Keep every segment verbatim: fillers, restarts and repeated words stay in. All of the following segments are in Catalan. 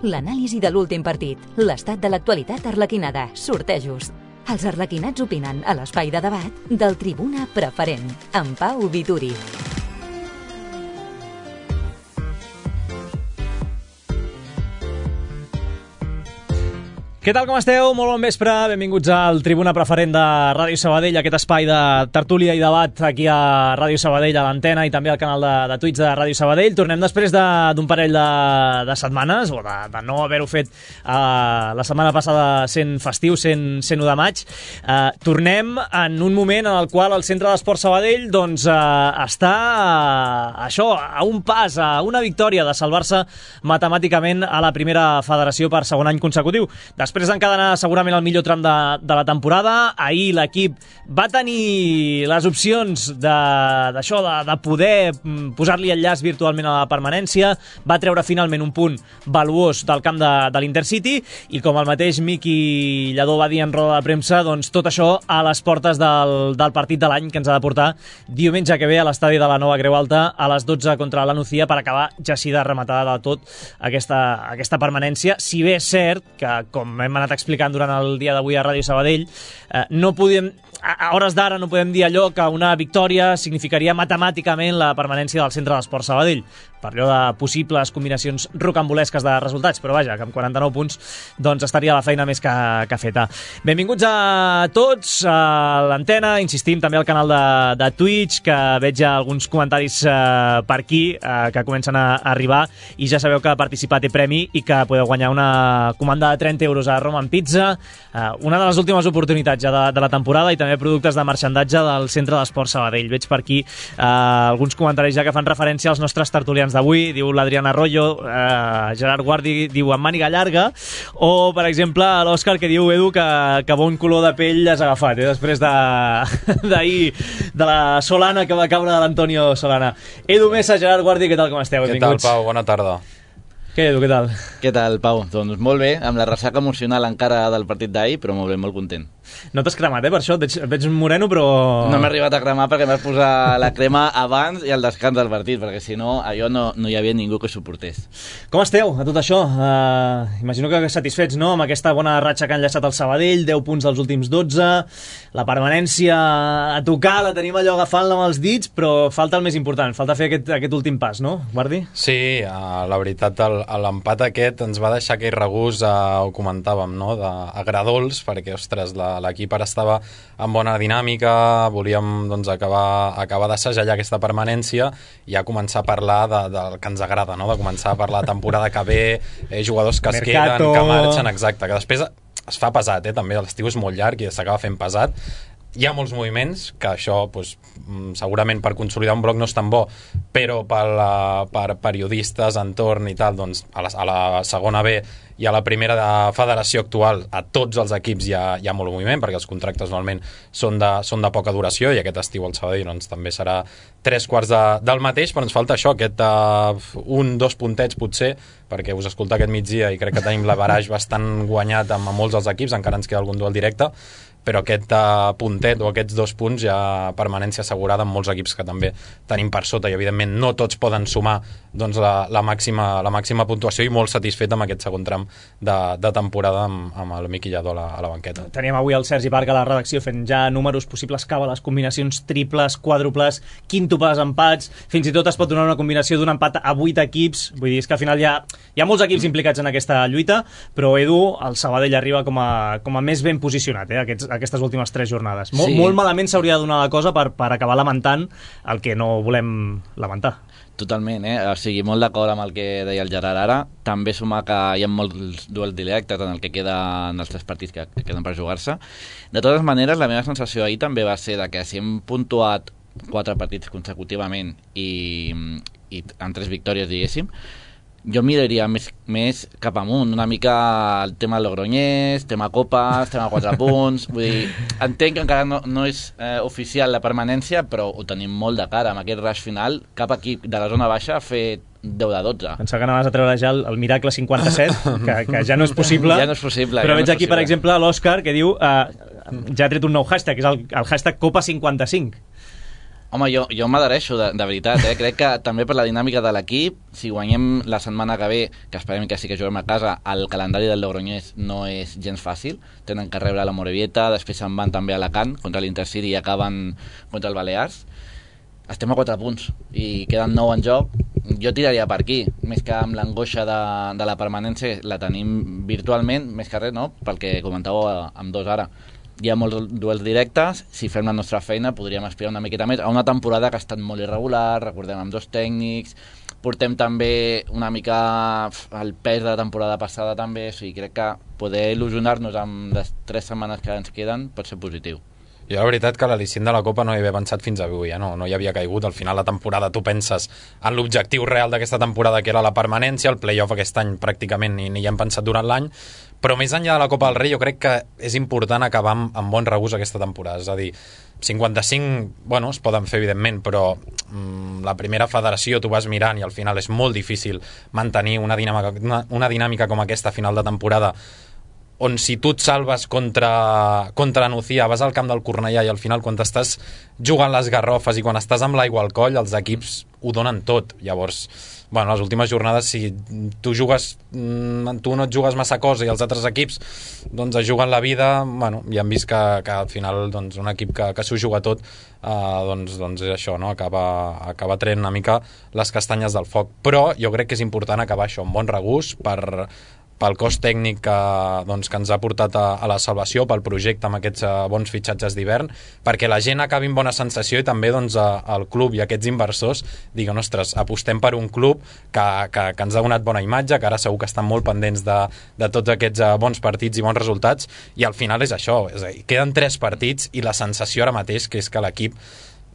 l'anàlisi de l'últim partit, l'estat de l'actualitat arlequinada, sortejos. Els arlequinats opinen a l'espai de debat del Tribuna Preferent, amb Pau Vituri. Què tal, com esteu? Molt bon vespre, benvinguts al Tribuna Preferent de Ràdio Sabadell, aquest espai de tertúlia i debat aquí a Ràdio Sabadell, a l'antena i també al canal de, de Twitch de Ràdio Sabadell. Tornem després d'un de, parell de, de setmanes, o de, de no haver-ho fet uh, la setmana passada sent festiu, sent, sent u de maig. Uh, tornem en un moment en el qual el Centre d'Esport Sabadell doncs, uh, està uh, això, a un pas, a una victòria de salvar-se matemàticament a la primera federació per segon any consecutiu. Després Després d'encadenar segurament el millor tram de, de la temporada, ahir l'equip va tenir les opcions d'això, de, de, de poder posar-li el llaç virtualment a la permanència, va treure finalment un punt valuós del camp de, de l'Intercity i com el mateix Miqui Lladó va dir en roda de premsa, doncs tot això a les portes del, del partit de l'any que ens ha de portar diumenge que ve a l'estadi de la Nova Creu Alta a les dotze contra la Nucía per acabar ja així de rematada de tot aquesta, aquesta permanència, si bé és cert que com hem anat explicant durant el dia d'avui a Ràdio Sabadell, eh, no podem, a hores d'ara no podem dir allò que una victòria significaria matemàticament la permanència del Centre d'Esport Sabadell, per allò de possibles combinacions rocambolesques de resultats, però vaja, que amb quaranta-nou punts doncs estaria la feina més que, que feta. Benvinguts a tots a l'antena, insistim també al canal de, de Twitch, que veig ja alguns comentaris eh, per aquí eh, que comencen a, a arribar, i ja sabeu que participar té premi i que podeu guanyar una comanda de trenta euros a Roman Pizza, eh, una de les últimes oportunitats ja de, de la temporada, i també productes de marxandatge del Centre d'Esport Sabadell. Veig per aquí eh, alguns comentaris ja que fan referència als nostres tertulians d'avui, diu l'Adriana Arroyo, eh, Gerard Guardi diu amb màniga llarga, o per exemple l'Òscar que diu, Edu, que, que bon color de pell has agafat, eh, després d'ahir de, de la Solana que va caure de l'Antonio Solana. Edu Mesa, Gerard Guardi, què tal, com esteu? Què tal, Pau? Bona tarda. Què, Edu, què tal? Què tal, Pau? Doncs molt bé, amb la ressaca emocional encara del partit d'ahir, però molt bé, molt content. No t'has cremat, eh, per això? Et veig, et veig moreno, però... No m'he arribat a cremar perquè m'has posat la crema abans i al descans del partit, perquè si no, allò no, no hi havia ningú que suportés. Com esteu a tot això? Uh, imagino que satisfets, no?, amb aquesta bona ratxa que han enllaçat el Sabadell, deu punts dels últims dotze, la permanència a tocar, la tenim allò agafant-la amb els dits, però falta el més important, falta fer aquest, aquest últim pas, no, Guardi? Sí, uh, la veritat, l'empat aquest ens va deixar aquell regús, uh, ho comentàvem, no?, d'agradols, perquè, ostres, la l'equip ara estava en bona dinàmica, volíem doncs, acabar, acabar d'assajar aquesta permanència i ja començar a parlar de, del que ens agrada, no? De començar a parlar de temporada que ve, eh, jugadors que es Mercato. queden, que marxen, exacte, que després es fa pesat, eh? També l'estiu és molt llarg i s'acaba fent pesat. Hi ha molts moviments, que això doncs, segurament per consolidar un bloc no és tan bo, però per, per periodistes, entorn i tal, doncs, a, la, a la segona B i a la primera de federació actual, a tots els equips hi ha, hi ha molt moviment, perquè els contractes normalment són de, són de poca duració, i aquest estiu al Sabadell doncs, també serà tres quarts de, del mateix, però ens falta això, aquest uh, un, dos puntets potser, perquè us escolta aquest migdia i crec que tenim l'average bastant guanyat amb, amb molts dels equips, encara ens queda algun duel directe, però aquest uh, puntet o aquests dos punts ja permanència assegurada amb molts equips que també tenim per sota, i evidentment no tots poden sumar doncs, la, la, màxima, la màxima puntuació, i molt satisfet amb aquest segon tram de, de temporada amb, amb el Miqui Lladó a la, a la banqueta. Teníem avui el Sergi Parc a la redacció fent ja números, possibles càbales, combinacions triples, quàdruples, quíntuples, empats, fins i tot es pot donar una combinació d'un empat a vuit equips, vull dir, és que al final hi ha, hi ha molts equips implicats en aquesta lluita, però Edu, el Sabadell arriba com a, com a més ben posicionat, eh, aquests, aquestes últimes tres jornades. Mol, sí. Molt malament s'hauria de donar la cosa per, per acabar lamentant el que no volem lamentar. Totalment, eh? O sigui, molt d'acord amb el que deia el Gerard ara. També sumar que hi ha molts duels directes en el que queden els tres partits que, que queden per jugar-se. De totes maneres, la meva sensació ahir també va ser de que si hem puntuat quatre partits consecutivament i, i amb tres victòries, diguéssim, jo miraria més, més cap amunt, una mica el tema Logroñés, tema Copes, tema quatre punts, vull dir, entenc que encara no, no és eh, oficial la permanència, però ho tenim molt de cara, amb aquest rush final, cap equip de la zona baixa ha fet deu de dotze. Pensava que anaves a treure ja el, el Miracle cinquanta-set, que, que ja no és possible. Ja no és possible. Però ja veig no aquí, possible. per exemple, l'Òscar, que diu, uh, ja ha tret un nou hashtag, que és el, el hashtag Copa cinquanta-cinc. Home, jo, jo m'adhereixo, de, de veritat, eh? Crec que també per la dinàmica de l'equip, si guanyem la setmana que ve, que esperem que sí que juguem a casa, el calendari del Logroñés no és gens fàcil, tenen que rebre la Morevieta, després se'n van també a Alacant contra l'Intercity i acaben contra el Balears. Estem a quatre punts i queden nou en joc. Jo tiraria per aquí, més que amb l'angoixa de, de la permanència, la tenim virtualment, més que res, no? Pel que comentàveu amb dos ara. Hi ha molts duels directes, si fem la nostra feina podríem aspirar una miqueta més a una temporada que ha estat molt irregular, recordem amb dos tècnics, portem també una mica el pes de la temporada passada també, o sigui, crec que poder il·lusionar-nos amb les tres setmanes que ens queden pot ser positiu. Jo la veritat que l'al·licient de la Copa no hi havia pensat fins avui, eh? no, no hi havia caigut. Al final la temporada tu penses en l'objectiu real d'aquesta temporada, que era la permanència, el play-off aquest any pràcticament ni, ni hi hem pensat durant l'any, però més enllà de la Copa del Rei jo crec que és important acabar amb, amb bon regust aquesta temporada, és a dir, cinquanta-cinc, bueno, es poden fer evidentment, però mm, la primera federació tu vas mirant i al final és molt difícil mantenir una dinàmica, una, una dinàmica com aquesta a final de temporada, on si tu et salves contra, contra Nucía, vas al camp del Cornellà i al final quan t'estàs jugant les garrofes i quan estàs amb l'aigua al coll, els equips ho donen tot. Llavors, bueno, les últimes jornades, si tu jugues, tu no et jugues massa cosa i els altres equips doncs es juguen la vida, bueno, ja hem vist que, que al final doncs, un equip que, que s'ho juga tot, eh, doncs, doncs és això, no? acaba, acaba traient una mica les castanyes del foc. Però jo crec que és important acabar això amb bon regust per pel cos tècnic que, doncs, que ens ha portat a, a la salvació, pel projecte amb aquests uh, bons fitxatges d'hivern, perquè la gent acabi amb bona sensació i també doncs, a, al club i aquests inversors diguen, ostres, apostem per un club que, que, que ens ha donat bona imatge, que ara segur que estan molt pendents de, de tots aquests uh, bons partits i bons resultats, i al final és això, és a dir, queden tres partits i la sensació ara mateix que és que l'equip,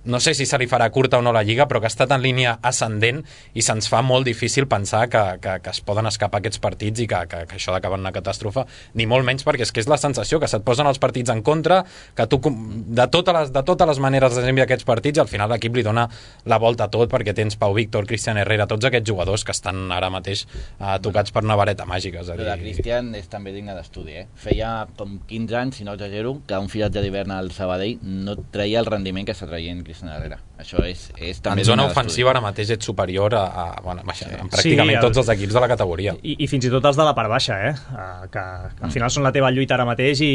no sé si se li farà curta o no la Lliga, però que ha estat en línia ascendent i se'ns fa molt difícil pensar que, que, que es poden escapar aquests partits i que, que, que això d'acabar en una catàstrofe, ni molt menys, perquè és que és la sensació que se't posen els partits en contra, que tu de totes les, de totes les maneres desenviar aquests partits i al final l'equip li dona la volta a tot, perquè tens Pau Víctor, Cristian Herrera, tots aquests jugadors que estan ara mateix uh, tocats per una vareta màgica. És a dir... Però de Cristian és també digne d'estudi, eh? Feia com quinze anys, si no exagero, que un filatge d'hivern al Sabadell no treia el rendiment que està traient Cristian Herrera. Això és, és també en zona ofensiva ara mateix ets superior a, a, bueno, baixa, sí. pràcticament sí, el, tots els equips de la categoria i, i fins i tot els de la part baixa, eh? Uh, que, que al final són la teva lluita ara mateix i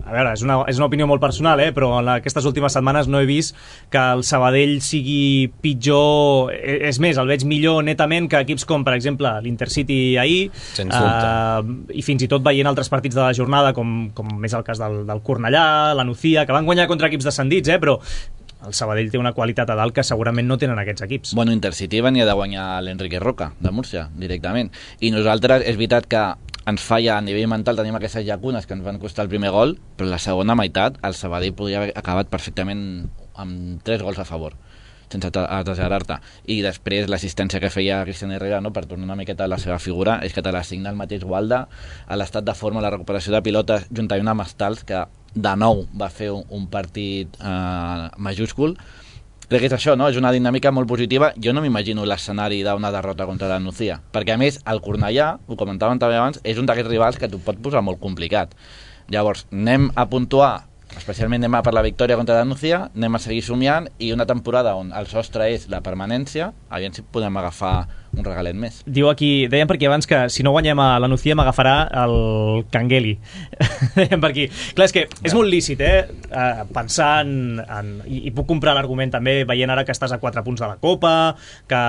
a veure, és una, és una opinió molt personal, eh? Però en aquestes últimes setmanes no he vist que el Sabadell sigui pitjor, és més, el veig millor netament que equips com, per exemple, l'Intercity ahir, uh, i fins i tot veient altres partits de la jornada com, com és el cas del, del Cornellà, la Nucía, que van guanyar contra equips descendits, eh? Però el Sabadell té una qualitat a dalt que segurament no tenen aquests equips. Bueno, Intercity venia de guanyar l'Enrique Roca, de Múrcia, directament. I nosaltres, és veritat que ens falla a nivell mental, tenim aquestes llacunes que ens van costar el primer gol, però la segona meitat el Sabadell podria haver acabat perfectament amb tres gols a favor, sense exagerar-te. I després l'assistència que feia Cristian Herrera, no, per tornar una miqueta a la seva figura, és que te l'assigna el mateix Gualda, a l'estat de forma, la recuperació de pilotes, juntament amb Stals, que de nou va fer un, un partit eh, majúscul. Crec que és això, no? És una dinàmica molt positiva. Jo no m'imagino l'escenari d'una derrota contra la Nucía, perquè a més el Cornellà, ho comentàvem també abans, és un d'aquests rivals que t'ho pot posar molt complicat. Llavors, anem a puntuar, especialment anem a per la victòria contra la Nucía, anem a seguir somiant, i una temporada on el sostre és la permanència, aviam si podem agafar un regalet més. Diu aquí, dèiem per aquí abans que si no guanyem a la Nucía m'agafarà el Cangueli. Dèiem per aquí. Clar, és que és molt lícit, eh? Uh, pensar en... en i, i puc comprar l'argument també, veient ara que estàs a quatre punts de la Copa, que...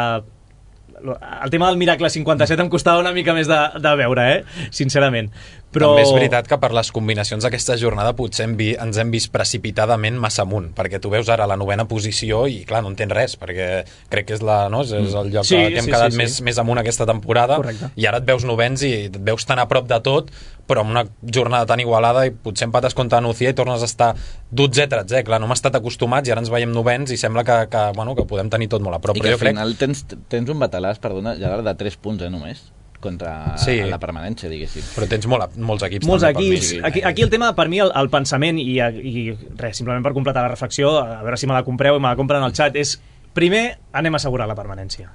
El tema del Miracle cinquanta-set em costava una mica més de, de veure, eh? Sincerament. Però... També és veritat que per les combinacions d'aquesta jornada potser hem vi, ens hem vist precipitadament massa amunt, perquè tu veus ara la novena posició i clar, no entens res, perquè crec que és, la, no? és el lloc sí, que hem sí, quedat sí, més, sí. més amunt aquesta temporada. Correcte. I ara et veus novens i et veus tan a prop de tot, però amb una jornada tan igualada i potser empates contra Nucía i tornes a estar dotzè, tretzè. Clar, no hem estat acostumats i ara ens veiem novens i sembla que, que, bueno, que podem tenir tot molt a prop. I però que al final crec... tens, tens un batalàs, perdona, ja de tres punts, eh, només, contra sí. la permanència, diguéssim. Però tens molt, molts equips. Molts equips. Aquí, aquí el tema, per mi, el, el pensament, i, i res, simplement per completar la reflexió, a veure si me la compreu i me la compren al xat, és, primer, anem a assegurar la permanència.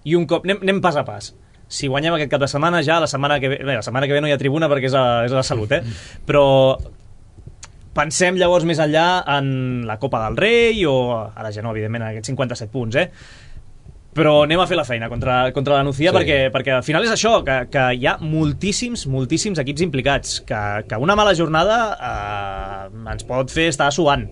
I un cop, anem, anem pas a pas. Si guanyem aquest cap de setmana, ja la setmana que ve, bé, la setmana que ve no hi ha tribuna perquè és a, és a la salut, eh? Però pensem llavors més enllà en la Copa del Rei o, ara ja no, evidentment, aquests cinquanta-set punts, eh? Però anem a fer la feina contra, contra la Nucía, sí. perquè, perquè al final és això, que, que hi ha moltíssims, moltíssims equips implicats, que, que una mala jornada eh, ens pot fer estar suant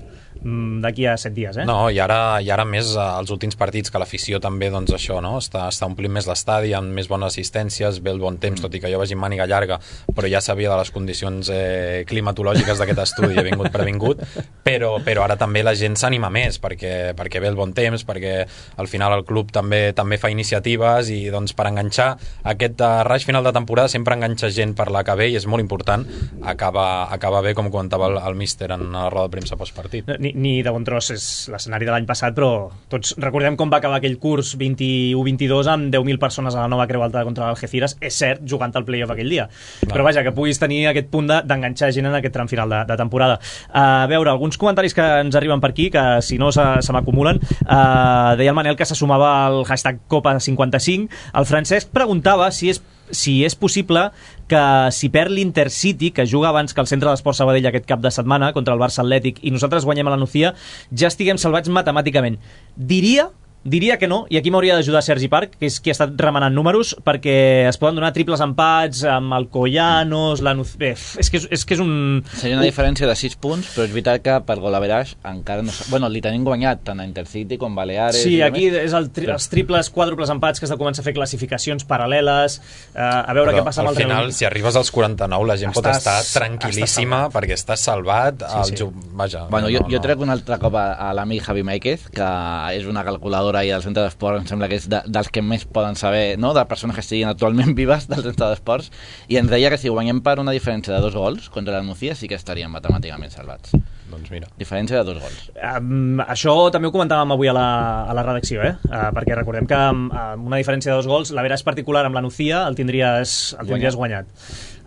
d'aquí a set dies, eh? No, i ara, i ara més els últims partits, que l'afició també, doncs això, no? Està, està omplint més l'estadi, amb més bones assistències, ve el bon temps, tot i que jo vagi amb màniga llarga, però ja sabia de les condicions eh, climatològiques d'aquest estudi, he vingut previngut, però, però ara també la gent s'anima més, perquè, perquè ve el bon temps, perquè al final el club també també fa iniciatives, i doncs per enganxar aquest uh, raig final de temporada sempre enganxa gent per la que ve, i és molt important acaba, acaba bé, com comentava el, el míster en la roda de premsa postpartit. Ni, ni de bon tros és l'escenari de l'any passat, però tots recordem com va acabar aquell curs vint-i-u vint-i-dos amb deu mil persones a la nova Creu Alta contra l'Algeciras, és cert, jugant al play-off aquell dia, no. Però vaja, que puguis tenir aquest punt d'enganxar gent en aquest tram final de, de temporada. A veure, alguns comentaris que ens arriben per aquí, que si no se, se m'acumulen. Uh, deia el Manel que se sumava al hashtag Copa cinquanta-cinc. El Francesc preguntava si és si és possible que si perd l'Intercity, que juga abans que el Centre d'Esport Sabadell aquest cap de setmana contra el Barça Atlètic, i nosaltres guanyem a la Nucía, ja estiguem salvats matemàticament. Diria Diria que no, i aquí m'hauria d'ajudar Sergi Parc, que és qui ha estat remenant números, perquè es poden donar triples empats amb el Collanos, la Nucía... Bé, és que és, és, que és un... Seria una diferència de sis punts, però és veritat que per golaveraix encara no... Bueno, li tenim guanyat tant a Intercity com Baleares... Sí, aquí és el tri els triples, quàdruples empats, que has de començar a fer classificacions paral·leles, eh, a veure però què passa amb el Real. Al final, si arribes als quaranta-nou, la gent estàs, pot estar tranquil·líssima, estàs perquè estàs salvat. Sí, sí. El... Vaja, bueno, no, jo, jo no. trec un altre cop a, a l'amic Javi Máiquez, que és una calculadora i al Centre d'Esports em sembla que és de, dels que més poden saber, no?, de persones que estiguin actualment vives del Centre d'Esports, i ens deia que si guanyem per una diferència de dos gols contra la Nucía sí que estaríem matemàticament salvats. Doncs mira. Diferència de dos gols. Um, això també ho comentàvem avui a la, a la redacció, eh? Uh, perquè recordem que amb, amb una diferència de dos gols, l'averaix particular amb la Nucía el tindries, el tindries guanyat.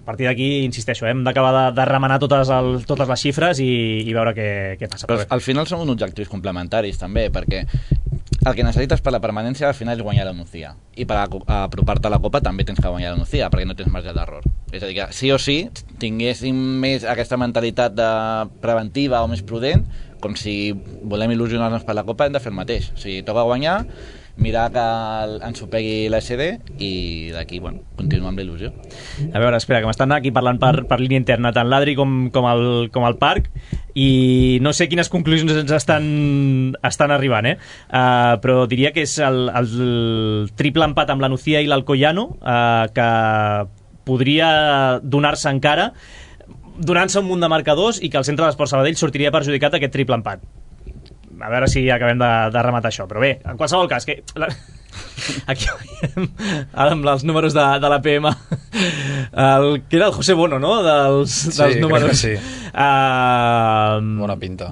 A partir d'aquí, insisteixo, eh? hem d'acabar de, de remenar totes, el, totes les xifres i, i veure què, què passa. Però al final són uns objectius complementaris també, perquè el que necessites per la permanència al final és guanyar la Nucía, i per apropar-te a la Copa també tens que guanyar la Nucía, perquè no tens marge d'error. És a dir, que sí o sí tinguéssim més aquesta mentalitat de preventiva o més prudent, com si volem il·lusionar-nos per la Copa hem de fer el mateix. O sigui, toca guanyar, mirar que ens ho pegui l'A S D i d'aquí, bueno, continuar amb la il·lusió. A veure, espera, que m'estan aquí parlant per, per línia interna, tant l'Adri com, com, el, com el Parc, i no sé quines conclusions ens estan, estan arribant, eh? Uh, però diria que és el, el triple empat amb la Nucía i l'Alcoyano, uh, que podria donar-se encara, donant-se un munt de marcadors, i que el Centre d'Esport Sabadell sortiria perjudicat aquest triple empat. A veure si acabem de, de rematar això. Però bé, en qualsevol cas, que la... aquí veiem ara amb els números de, de la P M, el, que era el José Bono, no?, dels, dels sí, números. Sí, uh... bona pinta.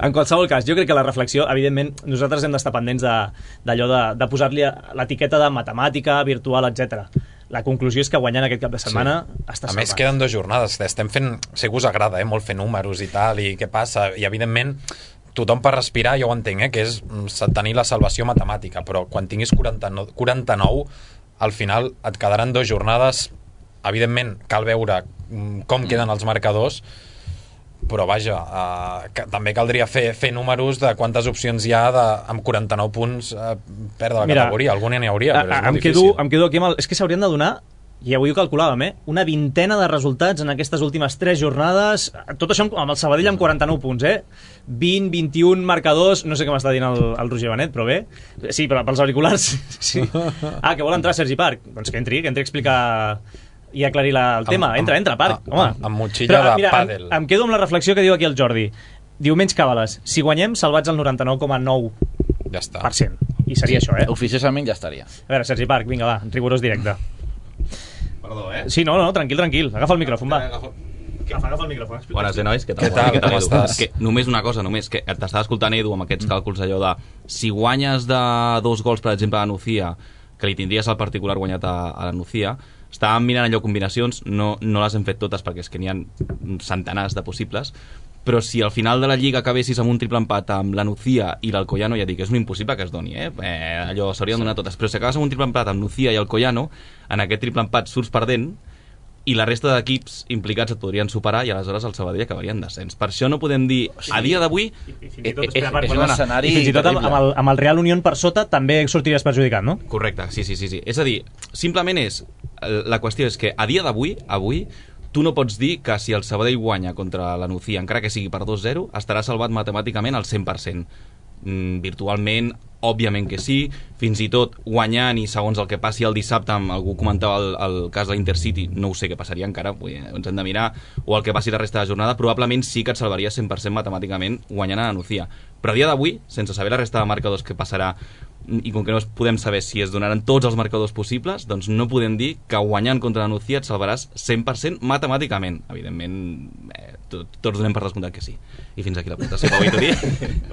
En qualsevol cas, jo crec que la reflexió, evidentment, nosaltres hem d'estar pendents d'allò de, de, de posar-li l'etiqueta de matemàtica, virtual, etcètera. La conclusió és que guanyant aquest cap de setmana sí. està salvat. A més, queden dues jornades. Estem fent... Sé que us agrada, eh, molt fer números i tal, i què passa. I, evidentment, tothom per respirar, jo ho entenc, eh, que és tenir la salvació matemàtica, però quan tinguis quaranta-nou, quaranta-nou, al final et quedaran dues jornades. Evidentment, cal veure com queden els marcadors, però vaja, uh, que, també caldria fer, fer números de quantes opcions hi ha de, amb quaranta-nou punts uh, perdre la Mira, categoria. Alguna n'hi hauria, però és a, molt em difícil. Quedo, em quedo aquí amb el... És que s'haurien de donar, i avui ho calculàvem, eh? una vintena de resultats en aquestes últimes tres jornades, tot això amb el Sabadell amb quaranta-nou punts, eh? vint, vint-i-un marcadors, no sé què m'està dient el, el Roger Benet, però bé, sí, però pels auriculars, sí. Ah, que vol entrar Sergi Parc, doncs que entri, que entri a explicar i aclarir la, el tema. Amb, entra, entra, Parc, amb, home. Amb, amb motxilla de mira, pàdel. Em, em quedo amb la reflexió que diu aquí el Jordi. Diu, menys càbales, si guanyem, salvats al noranta-nou coma nou ja està. per cent. I seria sí, això, eh? Oficiosament ja estaria. A veure, Sergi Parc, vinga, va, rigorós directe. Perdó, eh? Sí, no, no, tranquil, tranquil. Agafa el micròfon, va. Agafa, agafa el micròfon. Bones, eh, nois? Què tal? Què tal? Què tal, Com Edu? estàs? Que només una cosa, només, que t'estava escoltant, Edu, amb aquests càlculs allò de si guanyes de dos gols, per exemple, a la Nucía, que li tindries al particular guanyat a, a la Nucía, estàvem mirant allò combinacions, no, no les hem fet totes perquè és que n'hi ha centenars de possibles, però si al final de la Lliga acabessis amb un triple empat amb la Nucía i l'Alcoyano, ja dic, és un impossible que es doni, eh? eh allò s'haurien sí. donat totes, però si acabes amb un triple empat amb Nucía i Alcoyano, en aquest triple empat surts perdent, i la resta d'equips implicats et podrien superar i aleshores el Sabadell acabaria en descens. Per això no podem dir, a dia d'avui... I, i fins i tot, és, espera, per, és un perdona, escenari i fins i tot amb, amb, el, amb el Real Unión per sota també sortiries perjudicat, no? Correcte, sí, sí, sí, sí. És a dir, simplement és... La qüestió és que a dia d'avui, avui, tu no pots dir que si el Sabadell guanya contra la Nucía, encara que sigui per dos zero, estarà salvat matemàticament al cent per cent. Mm, virtualment, òbviament que sí, fins i tot guanyant i segons el que passi el dissabte, amb algú comentava el, el cas de l'Intercity, no ho sé què passaria encara, vull dir, ens hem de mirar, o el que passi la resta de jornada, probablement sí que et salvaria cent per cent matemàticament guanyant a la Nucía. Però a dia d'avui, sense saber la resta de marcadors que passarà, i com que no podem saber si es donaran tots els marcadors possibles, doncs no podem dir que guanyant contra la Nucía et salvaràs cent per cent matemàticament. Evidentment, eh, tot, tots donem per descomptat que sí. I fins aquí la presentació, Pau Vitorí.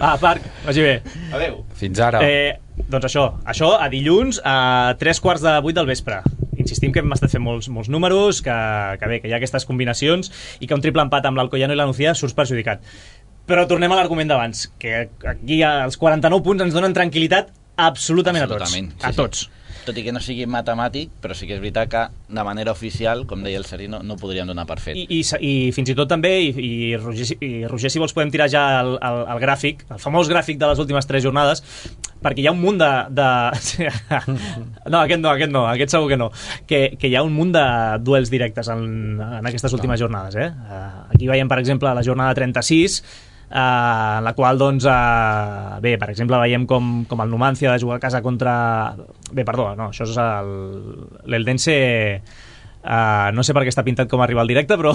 Ah, Parc, vagi bé. Adéu. Fins ara. Eh, doncs això, això a dilluns a tres quarts de vuit del vespre. Insistim que hem estat fent molts, molts números, que, que bé, que hi ha aquestes combinacions i que un triple empat amb l'Alcoyano i la Nucía surts perjudicat. Però tornem a l'argument d'abans, que aquí els quaranta-nou punts ens donen tranquil·litat absolutament, Absolutament, a tots. Sí, a tots. Sí. Tot i que no sigui matemàtic, però sí que és veritat que de manera oficial, com deia el Seri, no, no podríem donar per fet. I, i, i fins i tot també, i, i, Roger, i Roger, si vols podem tirar ja el, el, el gràfic, el famós gràfic de les últimes tres jornades, perquè hi ha un munt de... de... no, aquest no, aquest no, aquest segur que no. Que, que hi ha un munt de duels directes en, en aquestes últimes jornades. Eh? Aquí veiem, per exemple, la jornada trenta-sis, Uh, en la qual, doncs, uh, bé, per exemple, veiem com, com el Numancia ha de jugar a casa contra... Bé, perdó, no, això és l'Eldense... Uh, no sé per què està pintat com a rival directe, però...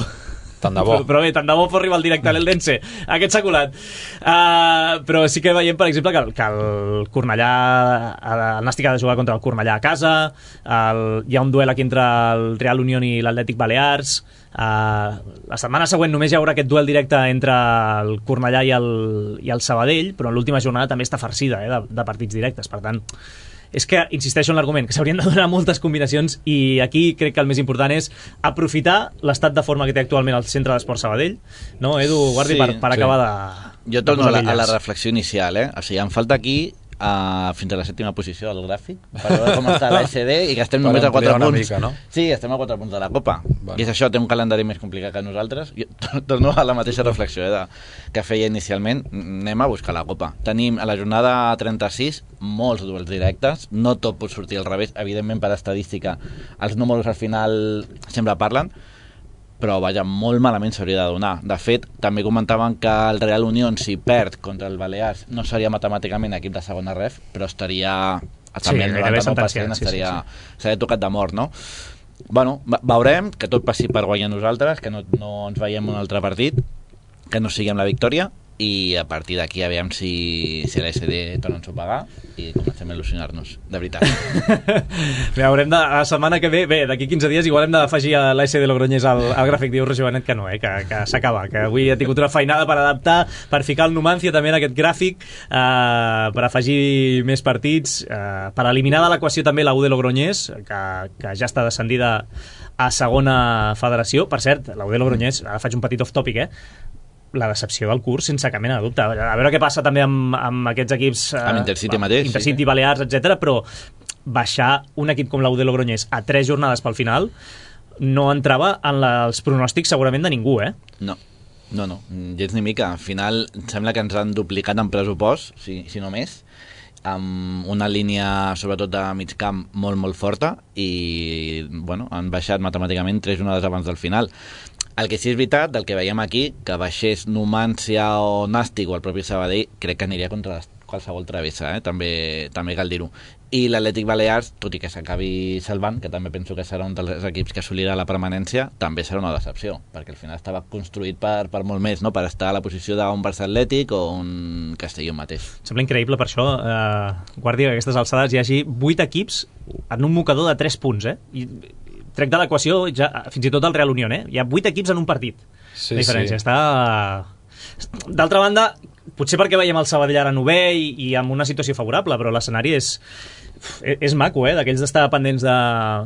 Tant de bo. Però, però bé, tant de bo fos rival directe a l'Eldense. Aquest s'ha colat. Uh, però sí que veiem, per exemple, que el, que el Cornellà... El Nàstic ha de jugar contra el Cornellà a casa. El, hi ha un duel aquí entre el Real Unión i l'Atlètic Balears. Uh, la setmana següent només hi haurà aquest duel directe entre el Cornellà i el, i el Sabadell, però en l'última jornada també està farcida, eh, de, de partits directes. Per tant, és que insisteixo en l'argument que s'haurien de donar moltes combinacions, i aquí crec que el més important és aprofitar l'estat de forma que té actualment el Centre d'Esport Sabadell, no, Edu Guardi, sí, per, per sí. acabar de... Jo torno a la, a la reflexió inicial, eh? O sigui, em falta aquí Uh, fins a la sèptima posició del gràfic per veure com està l'A S D i que estem només a quatre punts mica, no? Sí, estem a quatre punts de la Copa. Bueno. I és això, té un calendari més complicat que nosaltres. Jo torno a la mateixa reflexió eh, de, que feia inicialment. Anem a buscar la Copa. Tenim a la jornada trenta-sis molts duels directes, no tot pot sortir al revés, evidentment per estadística els números al final sempre parlen, però vaja, molt malament s'hauria de donar. De fet, també comentaven que el Real Unión, si perd contra el Balears, no seria matemàticament equip de segona ref, però estaria... També sí, el noranta-nou per cent estaria... Sí, sí, sí. S'ha tocat de mort, no? Bueno, veurem que tot passi per guanyar nosaltres, que no, no ens veiem un altre partit, que no sigui amb la victòria, i a partir d'aquí aviam si, si l'A S D torna a ensopegar i comencem a il·lusionar-nos, de veritat. Bé, haurem de, la setmana que ve, bé, d'aquí quinze dies igual hem d'afegir a l'A S D Logroñés al, al gràfic. Diu Roger Benet que no, eh, que, que s'acaba, que avui ha tingut una feinada per adaptar, per ficar el Numancia també en aquest gràfic, eh, per afegir més partits, eh, per eliminar de l'equació també la U de Logroñés, que, que ja està descendida a segona federació. Per cert, la U de Logroñés, ara faig un petit off-topic, eh, la decepció del curs, sense cap mena de dubte. A veure què passa també amb, amb aquests equips... Eh, amb Intercity mateix. Intercity, sí. Balears, etcètera. Però baixar un equip com la U de Logroñés a tres jornades pel final no entrava en la, els pronòstics segurament de ningú, eh? No, no, no, gens ni mica. Al final sembla que ens han duplicat en pressupost, si, si no més, amb una línia sobretot de mig camp molt, molt forta i, bueno, han baixat matemàticament tres jornades abans del final. El que sí és veritat, del que veiem aquí, que baixés Numancia o Nàstic o el propi Sabadell, crec que aniria contra qualsevol travessa, eh? també, també cal dir-ho. I l'Atlètic Balears, tot i que s'acabi salvant, que també penso que serà un dels equips que assolirà la permanència, també serà una decepció, perquè al final estava construït per, per molt més, no? Per estar a la posició d'un Barça Atlètic o un Castelló mateix. Sembla increïble per això, eh, Guàrdia, que a aquestes alçades hi hagi vuit equips en un mocador de tres punts, eh? I trec de l'equació ja, fins i tot el Real Unión, eh? Hi ha vuit equips en un partit. Sí, la diferència sí. Està... D'altra banda, potser perquè veiem el Sabadell ara novè i, i amb una situació favorable, però l'escenari és... és maco, eh, d'aquells d'estar pendents de,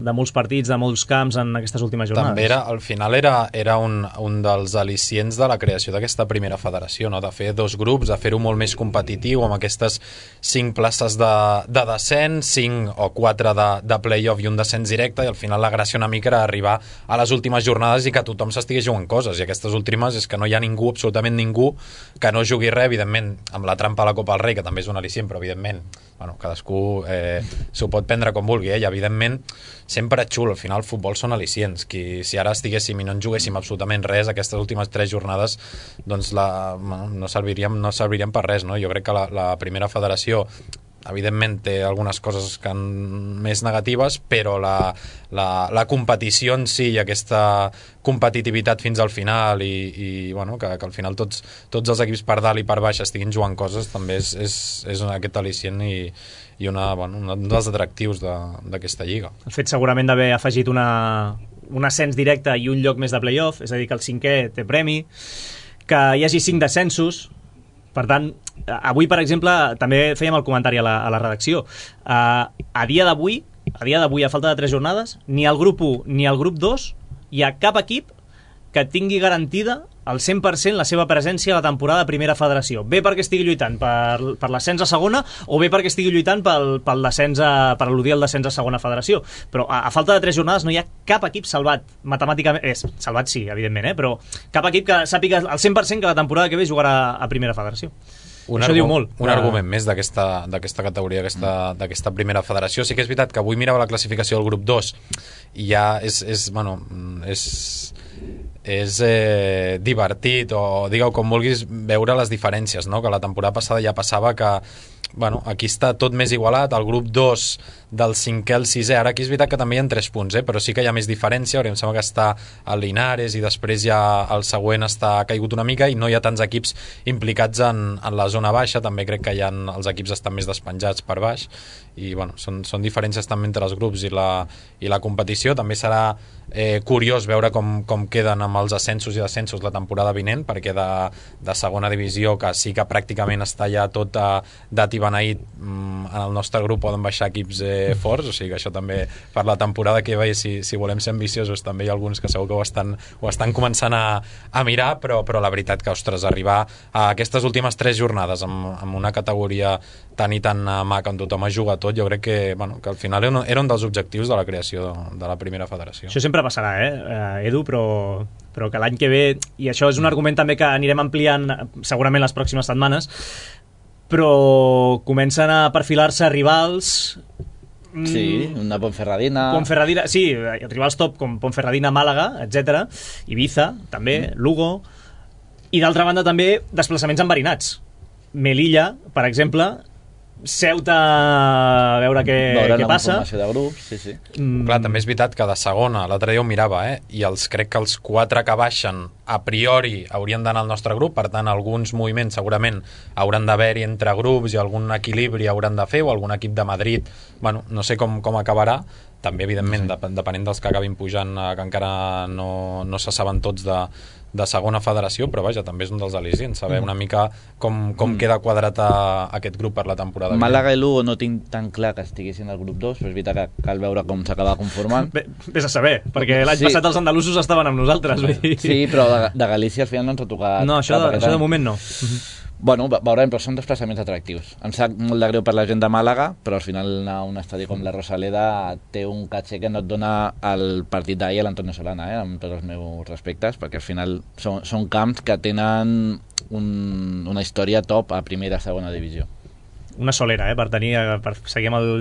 de molts partits, de molts camps en aquestes últimes jornades. També era, al final era, era un, un dels al·licients de la creació d'aquesta primera federació, no? De fer dos grups, de fer-ho molt més competitiu, amb aquestes cinc places de, de descens, cinc o quatre de, de play-off i un descens directe, i al final la gràcia una mica era arribar a les últimes jornades i que tothom s'estigui jugant coses, i aquestes últimes és que no hi ha ningú, absolutament ningú, que no jugui res, evidentment, amb la trampa a la Copa del Rei, que també és un al·licient, però evidentment, bueno, cadascú eh, s'ho pot prendre com vulgui, eh? I evidentment sempre és xulo, al final el futbol són al·licients, qui, si ara estiguéssim i no en juguéssim absolutament res aquestes últimes tres jornades, doncs la, no, serviríem, no serviríem per res, no? Jo crec que la, la primera federació evidentment té algunes coses que han més negatives, però la, la, la competició en si i aquesta competitivitat fins al final i, i bueno, que, que al final tots, tots els equips per dalt i per baix estiguin jugant coses també és, és, és aquest al·licient i, i una, bueno, un dels atractius d'aquesta lliga. El fet segurament d'haver afegit una, un ascens directe i un lloc més de play-off, és a dir, que el cinquè té premi, que hi hagi cinc descensos. Per tant, avui, per exemple, també fèiem el comentari a la, a la redacció. Uh, a dia d'avui, a dia d'avui, a falta de tres jornades, ni el grup u ni el grup dos hi ha cap equip que tingui garantida al cent per cent la seva presència a la temporada de primera federació. Bé perquè estigui lluitant per, per l'ascens a segona o bé perquè estigui lluitant pel, pel descens a, per al·ludir al descens a segona federació. Però a, a falta de tres jornades no hi ha cap equip salvat matemàticament. És, salvat sí, evidentment, eh? Però cap equip que sàpiga al cent per cent que la temporada que ve jugarà a primera federació. Un, Això diu molt. Un de... argument més d'aquesta categoria, d'aquesta primera federació. Sí que és veritat que avui mirava la classificació del grup dos i ja és, és bueno, és... és eh, divertit o digueu com vulguis veure les diferències, no? Que la temporada passada ja passava que bueno, aquí està tot més igualat, el grup dos del cinquè al sisè, ara aquí és veritat que també hi ha tres punts, eh? Però sí que hi ha més diferència, em sembla que està el Linares i després ja el següent està caigut una mica i no hi ha tants equips implicats en, en la zona baixa, també crec que hi ha, els equips estan més despenjats per baix i bueno, són, són diferències també entre els grups i la, i la competició. També serà eh, curiós veure com, com queden amb els ascensos i descensos la temporada vinent, perquè de, de segona divisió, que sí que pràcticament està ja tot a, dat i beneït, en el nostre grup poden baixar equips eh, forts, o sigui que això també per la temporada que ve, si, si volem ser ambiciosos, també hi ha alguns que segur que ho estan, ho estan començant a, a mirar, però, però la veritat que, ostres, arribar a aquestes últimes tres jornades amb, amb una categoria tan i tan maca on tothom ha jugat tot, jo crec que, bueno, que al final era un, era un dels objectius de la creació de, de la primera federació. Això sempre passarà, eh, Edu, però, però que l'any que ve, i això és un argument també que anirem ampliant segurament les pròximes setmanes, però comencen a perfilar-se rivals... Sí, una Ponferradina... Ponferradina, sí, rivals top com Ponferradina, Màlaga, etcètera, Ibiza, també, mm. Lugo, i d'altra banda també desplaçaments enverinats. Melilla, per exemple, Ceuta, a veure què, veure què passa. De grup, sí, sí. Mm. Clar, també és veritat que de segona, l'altre dia ho mirava, eh? I els, crec que els quatre que baixen a priori haurien d'anar al nostre grup, per tant alguns moviments segurament hauran d'haver-hi entre grups i algun equilibri hauran de fer, o algun equip de Madrid, bueno, no sé com, com acabarà, també evidentment sí. depenent dels que acabin pujant, que encara no, no se saben tots de, de segona federació, però vaja, també és un dels al·licients, saber mm. una mica com, com mm. queda quadrat a, a aquest grup per la temporada. Màlaga i Lugo no tinc tan clar que estiguessin al grup dos, però és veritat que cal veure com s'acaba conformant. Vés a saber, perquè l'any sí. passat els andalusos estaven amb nosaltres. Sí, però de, de Galícia al final no ens ha tocat. No, això, de, això de moment no. Bueno, veurem, però són desplaçaments atractius. Em sap molt de greu per la gent de Màlaga, però al final anar a un estadi com la Rosaleda té un caché que no et dona el partit d'ahir a l'Antonio Solana, eh, amb tots els meus respectes, perquè al final són, són camps que tenen un, una història top a primera, segona divisió. Una solera, eh, per tenir, per seguir amb el,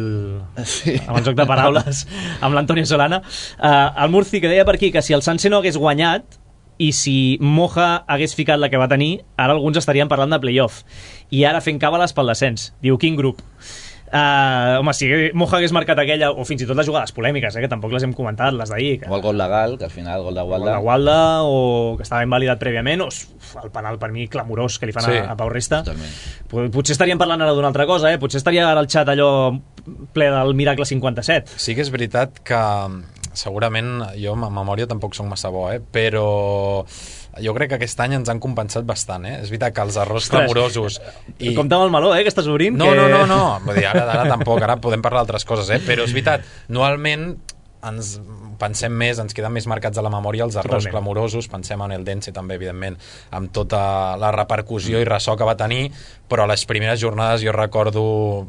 sí. amb el joc de paraules amb l'Antonio Solana. Uh, el Murci, que deia per aquí que si el Sanse no hagués guanyat i si Moja hagués ficat la que va tenir, ara alguns estarien parlant de playoff. I ara fent càbales pel descens. Diu, quin grup? Uh, home, si Moja hagués marcat aquella, o fins i tot les jugades polèmiques, eh, que tampoc les hem comentat, les d'ahir. Que... O el gol legal, que al final el gol de Gualda. El gol de Gualda, o que estava invalidat prèviament, o el penal per mi clamorós que li fan sí. a, a Pau Resta. Totalment. Potser estaríem parlant ara d'una altra cosa, eh? Potser estaria ara el xat allò ple del Miracle cinquanta-set. Sí que és veritat que segurament jo a memòria tampoc soc massa bo, eh? Però jo crec que aquest any ens han compensat bastant, eh? És veritat que els errors clamorosos... I... Compte amb el meló, eh, que estàs obrint. No, que... no, no, no. Vull dir, ara, ara tampoc, ara podem parlar d'altres coses, eh? Però és veritat, anualment ens pensem més, ens queden més marcats a la memòria els errors Totalment. clamorosos, pensem en el Dense també, evidentment, amb tota la repercussió i ressò que va tenir, però a les primeres jornades jo recordo,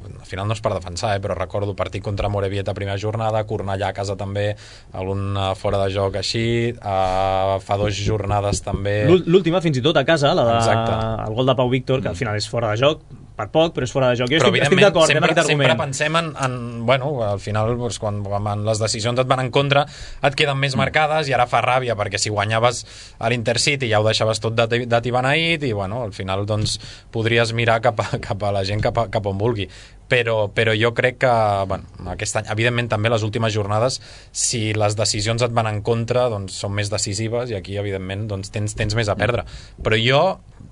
al final no és per defensar, eh, però recordo partit contra Morevieta primera jornada, Cornellà a casa també, algun fora de joc així, uh, fa dues jornades també... L'última fins i tot a casa, la de... Exacte. El gol de Pau Víctor, que al final és fora de joc, per poc, però és fora de joc. Jo però estic, estic d'acord sempre, amb aquest sempre argument. pensem en, en bueno, al final doncs, quan, quan les decisions et van en contra et queden més marcades i ara fa ràbia perquè si guanyaves a l'Intercity ja ho deixaves tot de, de tibeneït i bueno, al final doncs podries mirar cap a, cap a la gent cap, a, cap on vulgui. Però, però jo crec que bueno, aquest any, evidentment també les últimes jornades si les decisions et van en contra doncs són més decisives i aquí evidentment doncs, tens, tens més a perdre, però jo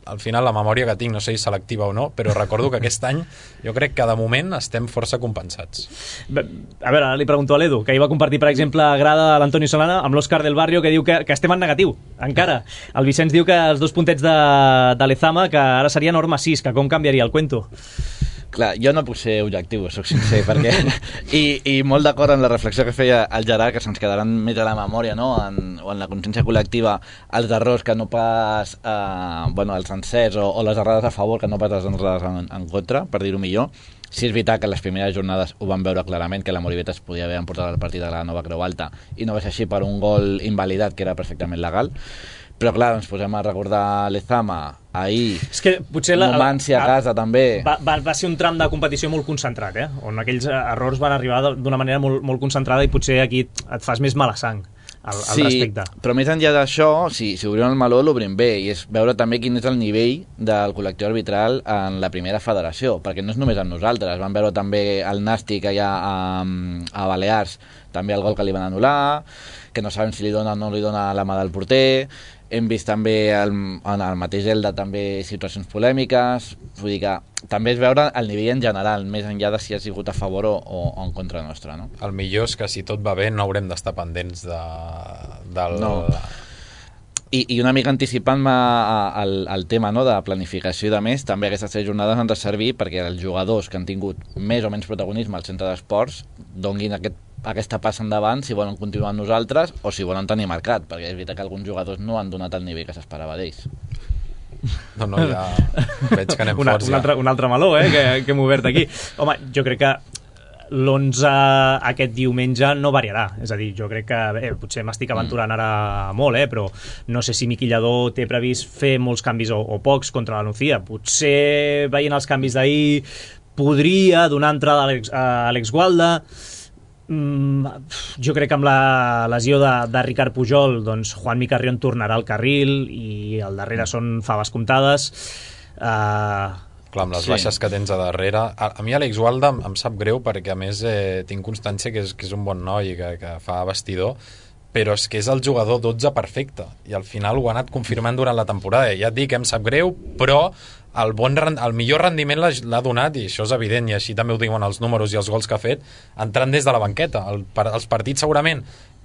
al final la memòria que tinc, no sé si selectiva o no, però recordo que aquest any jo crec que de moment estem força compensats. A veure, ara li pregunto a l'Edu, que ahir va compartir, per exemple, grada a l'Antonio Solana amb l'Òscar del Barrio, que diu que, que estem en negatiu, encara. El Vicenç diu que els dos puntets de, de l'Ezama, que ara seria norma sis, que com canviaria el cuento? Clar, jo no puc ser objectiu, soc sincer, perquè... I, i molt d'acord amb la reflexió que feia el Gerard, que se'ns quedaran més a la memòria, no?, en, o en la consciència col·lectiva, els errors que no pas... Eh, bueno, els encerts o, o les errades a favor que no pas les errades en, en contra, per dir-ho millor. Sí és veritat que les primeres jornades ho van veure clarament, que la Moribeta es podia haver emportat el partit de la Nova Creu Alta, i no va ser així per un gol invalidat, que era perfectament legal. Però clar, ens posem a recordar l'Ezama, ahir, és que potser la, Numancia a casa també... Va, va, va ser un tram de competició molt concentrat, eh? On aquells errors van arribar d'una manera molt, molt concentrada i potser aquí et fas més mala sang al, al sí, respecte. Però més enllà d'això, si, si obrim el meló l'obrim bé, i és veure també quin és el nivell del col·lectiu arbitral en la primera federació, perquè no és només amb nosaltres, van veure també el Nàstic allà a, a Balears, també el gol que li van anul·lar, que no sabem si li dona o no li dona la mà del porter. Hem vist també el, en el mateix Elda també situacions polèmiques, vull dir que també és veure el nivell en general, més enllà de si ha sigut a favor o, o en contra nostra, no? El millor és que si tot va bé no haurem d'estar pendents de, del... No. I, i una mica anticipant-me al, al tema, no?, de planificació i de més, també aquestes tres jornades han de servir perquè els jugadors que han tingut més o menys protagonisme al centre d'esports donguin aquest aquesta passa endavant si volen continuar amb nosaltres o si volen tenir mercat, perquè és veritat que alguns jugadors no han donat el nivell que s'esperava d'ells. No, no, ja veig que anem una, forts. Un, ja. altre, un altre meló, eh, que, que hem obert aquí. Home, jo crec que l'onze aquest diumenge no variarà, és a dir, jo crec que eh, potser m'estic aventurant ara molt, eh, però no sé si Miqui Lladó té previst fer molts canvis o, o pocs contra la Nucía. Potser veient els canvis d'ahir podria donar entrada a Àlex Gualda. Mm, jo crec que amb la lesió de, de Ricard Pujol doncs Juanmi Carrión tornarà al carril i al darrere són faves comptades. uh, Clar, amb les sí. baixes que tens a darrere a, a mi Àlex Gualda em, em sap greu perquè a més eh, tinc constància que és, que és un bon noi que, que fa vestidor, però és que és el jugador dotze perfecte i al final ho ha anat confirmant durant la temporada. Ja et dic, em sap greu, però el, bon, el millor rendiment l'ha donat, i això és evident, i així també ho diuen els números i els gols que ha fet, entrant des de la banqueta. El, per, els partits segurament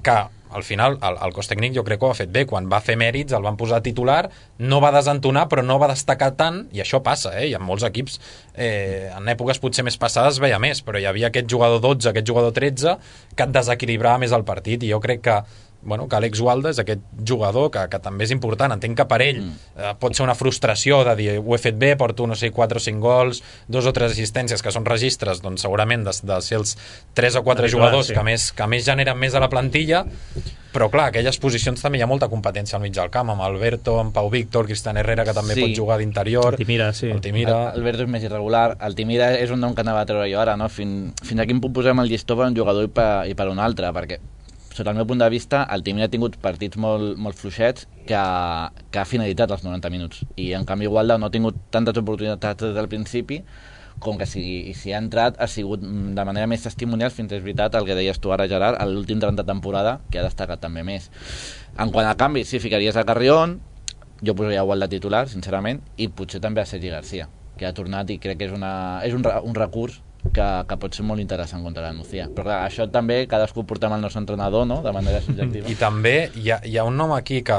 que al final el, el cos tècnic jo crec que ho ha fet bé, quan va fer mèrits el van posar titular, no va desentonar però no va destacar tant, i això passa, eh? I en molts equips eh, en èpoques potser més passades veia més, però hi havia aquest jugador dotze, aquest jugador tretze que et desequilibrava més el partit, i jo crec que bueno, que Àlex Gualda és aquest jugador que, que també és important, entenc que per ell mm. eh, pot ser una frustració de dir ho he fet bé, porto no sé, quatre o cinc gols, dos o tres assistències que són registres, doncs segurament de, de ser els tres o quatre jugadors sí. que, més, que més generen més a la plantilla, però clar, aquelles posicions també hi ha molta competència al mig del camp, amb Alberto, amb Pau Víctor, Cristian Herrera, que també sí. pot jugar d'interior, Altimira, sí. Altimira. Alberto és més irregular, Altimira és un nom que anava a treure jo ara, no? Fin, fins a quin punt posem el llistó per un jugador i per, i per un altre, perquè sota el meu punt de vista, el Altimira ha tingut partits molt, molt fluixets que ha, que ha finalitzat els noranta minuts, i en canvi Gualda no ha tingut tantes oportunitats des del principi, com que si, si ha entrat ha sigut de manera més testimonial, fins és veritat el que deies tu ara, Gerard, a l'últim tram de temporada, que ha destacat també més. En quant a canvi, sí, ficaries a Carrión, jo posaria Gualda titular, sincerament, i potser també a Sergi Garcia, que ha tornat i crec que és, una, és un, un recurs que, que pot ser molt interessant contra la Nucía. Però clar, això també cadascú portem el nostre entrenador, no?, de manera subjectiva. I també hi ha, hi ha un nom aquí que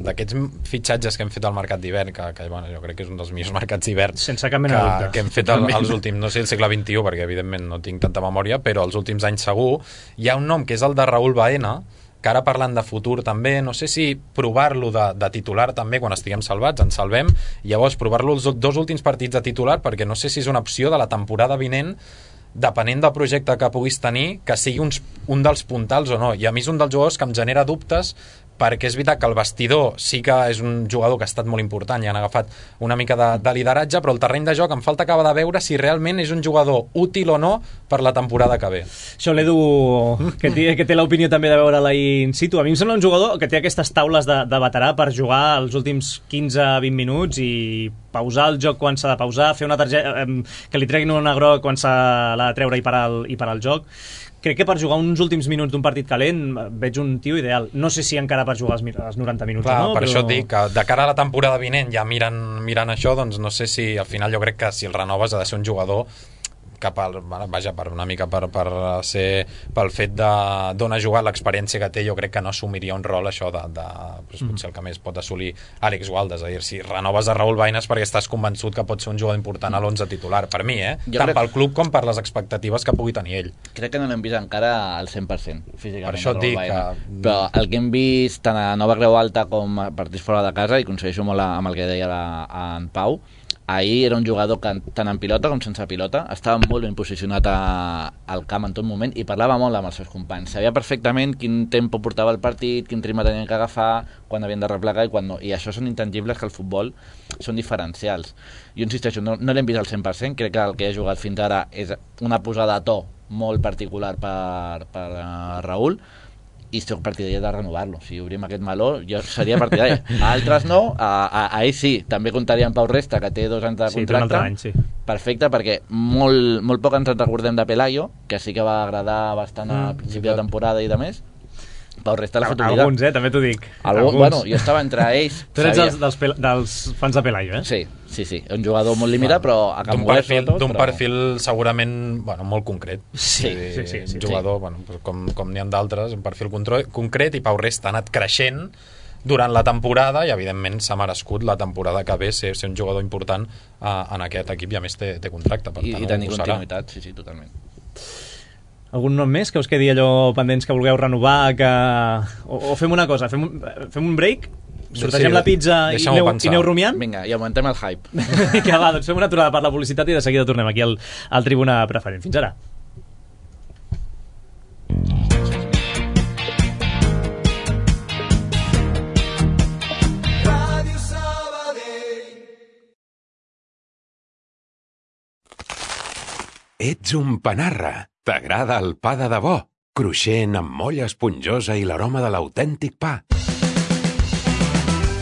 d'aquests fitxatges que hem fet al mercat d'hivern, que, que bueno, jo crec que és un dels millors mercats d'hivern sense cap mena de dubte, que hem fet el, els últims, no sé, el segle vint-i-u, perquè evidentment no tinc tanta memòria, però els últims anys segur. Hi ha un nom que és el de Raúl Baena, que ara parlant de futur també, no sé si provar-lo de, de titular també quan estiguem salvats, ens salvem, i llavors provar-lo els dos últims partits de titular, perquè no sé si és una opció de la temporada vinent, depenent del projecte que puguis tenir, que sigui uns, un dels puntals o no. I a mi és un dels jugadors que em genera dubtes, perquè és veritat que el vestidor sí que és un jugador que ha estat molt important i han agafat una mica de, de lideratge, però el terreny de joc em falta acabar de veure si realment és un jugador útil o no per la temporada que ve. Això l'Edu, que té, que té l'opinió també de veure-la in situ. A mi em sembla un jugador que té aquestes taules de, de veterà per jugar els últims quinze a vint minuts i pausar el joc quan s'ha de pausar, fer una targeta, que li treguin una groc quan s'ha de treure i parar el, i parar el joc. Crec que per jugar uns últims minuts d'un partit calent veig un tio ideal. No sé si encara per jugar els noranta minuts Clar, o no, per però... això et dic que de cara a la temporada vinent, ja mirant, mirant això, doncs no sé si al final jo crec que si el renoves ha de ser un jugador cap al, vaja, per una mica per, per ser, pel fet de d'on ha jugat, l'experiència que té, jo crec que no assumiria un rol això de, de doncs potser el que més pot assolir Àlex Gualda, és a dir, si renoves a Raúl Baena perquè estàs convençut que pot ser un jugador important a l'onze titular, per mi, eh? Jo tant crec... pel club com per les expectatives que pugui tenir ell. Crec que no l'hem vist encara al cent per cent físicament. Per això et dic que... Però el que hem vist tant a Nova Creu Alta com a partits fora de casa, i coincideixo molt amb el que deia la, en Pau, ahir era un jugador que tant en pilota com sense pilota estava molt ben posicionat a, al camp en tot moment i parlava molt amb els seus companys, sabia perfectament quin tempo portava el partit, quin ritme tenien que agafar, quan havien de replegar i quan no, i això són intangibles que el futbol són diferencials. Jo insisteixo, no, no l'hem vist al cent per cent, crec que el que ha jugat fins ara és una posada a to molt particular per, per uh, Raúl, i soc partidari de renovar-lo. Si obrim aquest meló, jo seria partidari. A altres no, a, a, a ell sí. També comptaria amb Pau Resta, que té dos anys de contracte. Sí, any, sí. Perfecte, perquè molt, molt poc ens en recordem de Pelayo, que sí que va agradar bastant a mm, principi de temporada i de més. Pau Resta l'ha fet oblidar. Alguns, eh? També t'ho dic. Algun, bueno, jo estava entre ells. Tu ets dels, dels, pel, dels fans de Pelayo, eh? Sí, sí, sí. Un jugador molt limitat, bueno, però a Can Moguer sobretot. D'un però... perfil segurament bueno, molt concret. Sí, sí, sí, sí, sí. Un jugador, sí. Bueno, com, com n'hi ha d'altres, un perfil concret, i Pau Resta ha anat creixent durant la temporada i evidentment s'ha merescut la temporada que ve ser, ser un jugador important uh, en aquest equip i a més té, té contracte. Per I, tant, i tenir continuïtat, sí, sí, totalment. Algun nom més que us quedi allò pendents que vulgueu renovar, que... o, o fem una cosa, fem un, fem un break, sortegem sí, la pizza i aneu, i aneu rumiant? Vinga, i augmentem el hype. Que va, doncs fem una aturada per la publicitat i de seguida tornem aquí al, al Tribuna Preferent. Fins ara. Ets un panarra. T'agrada el pa de debò, cruixent amb molla esponjosa i l'aroma de l'autèntic pa.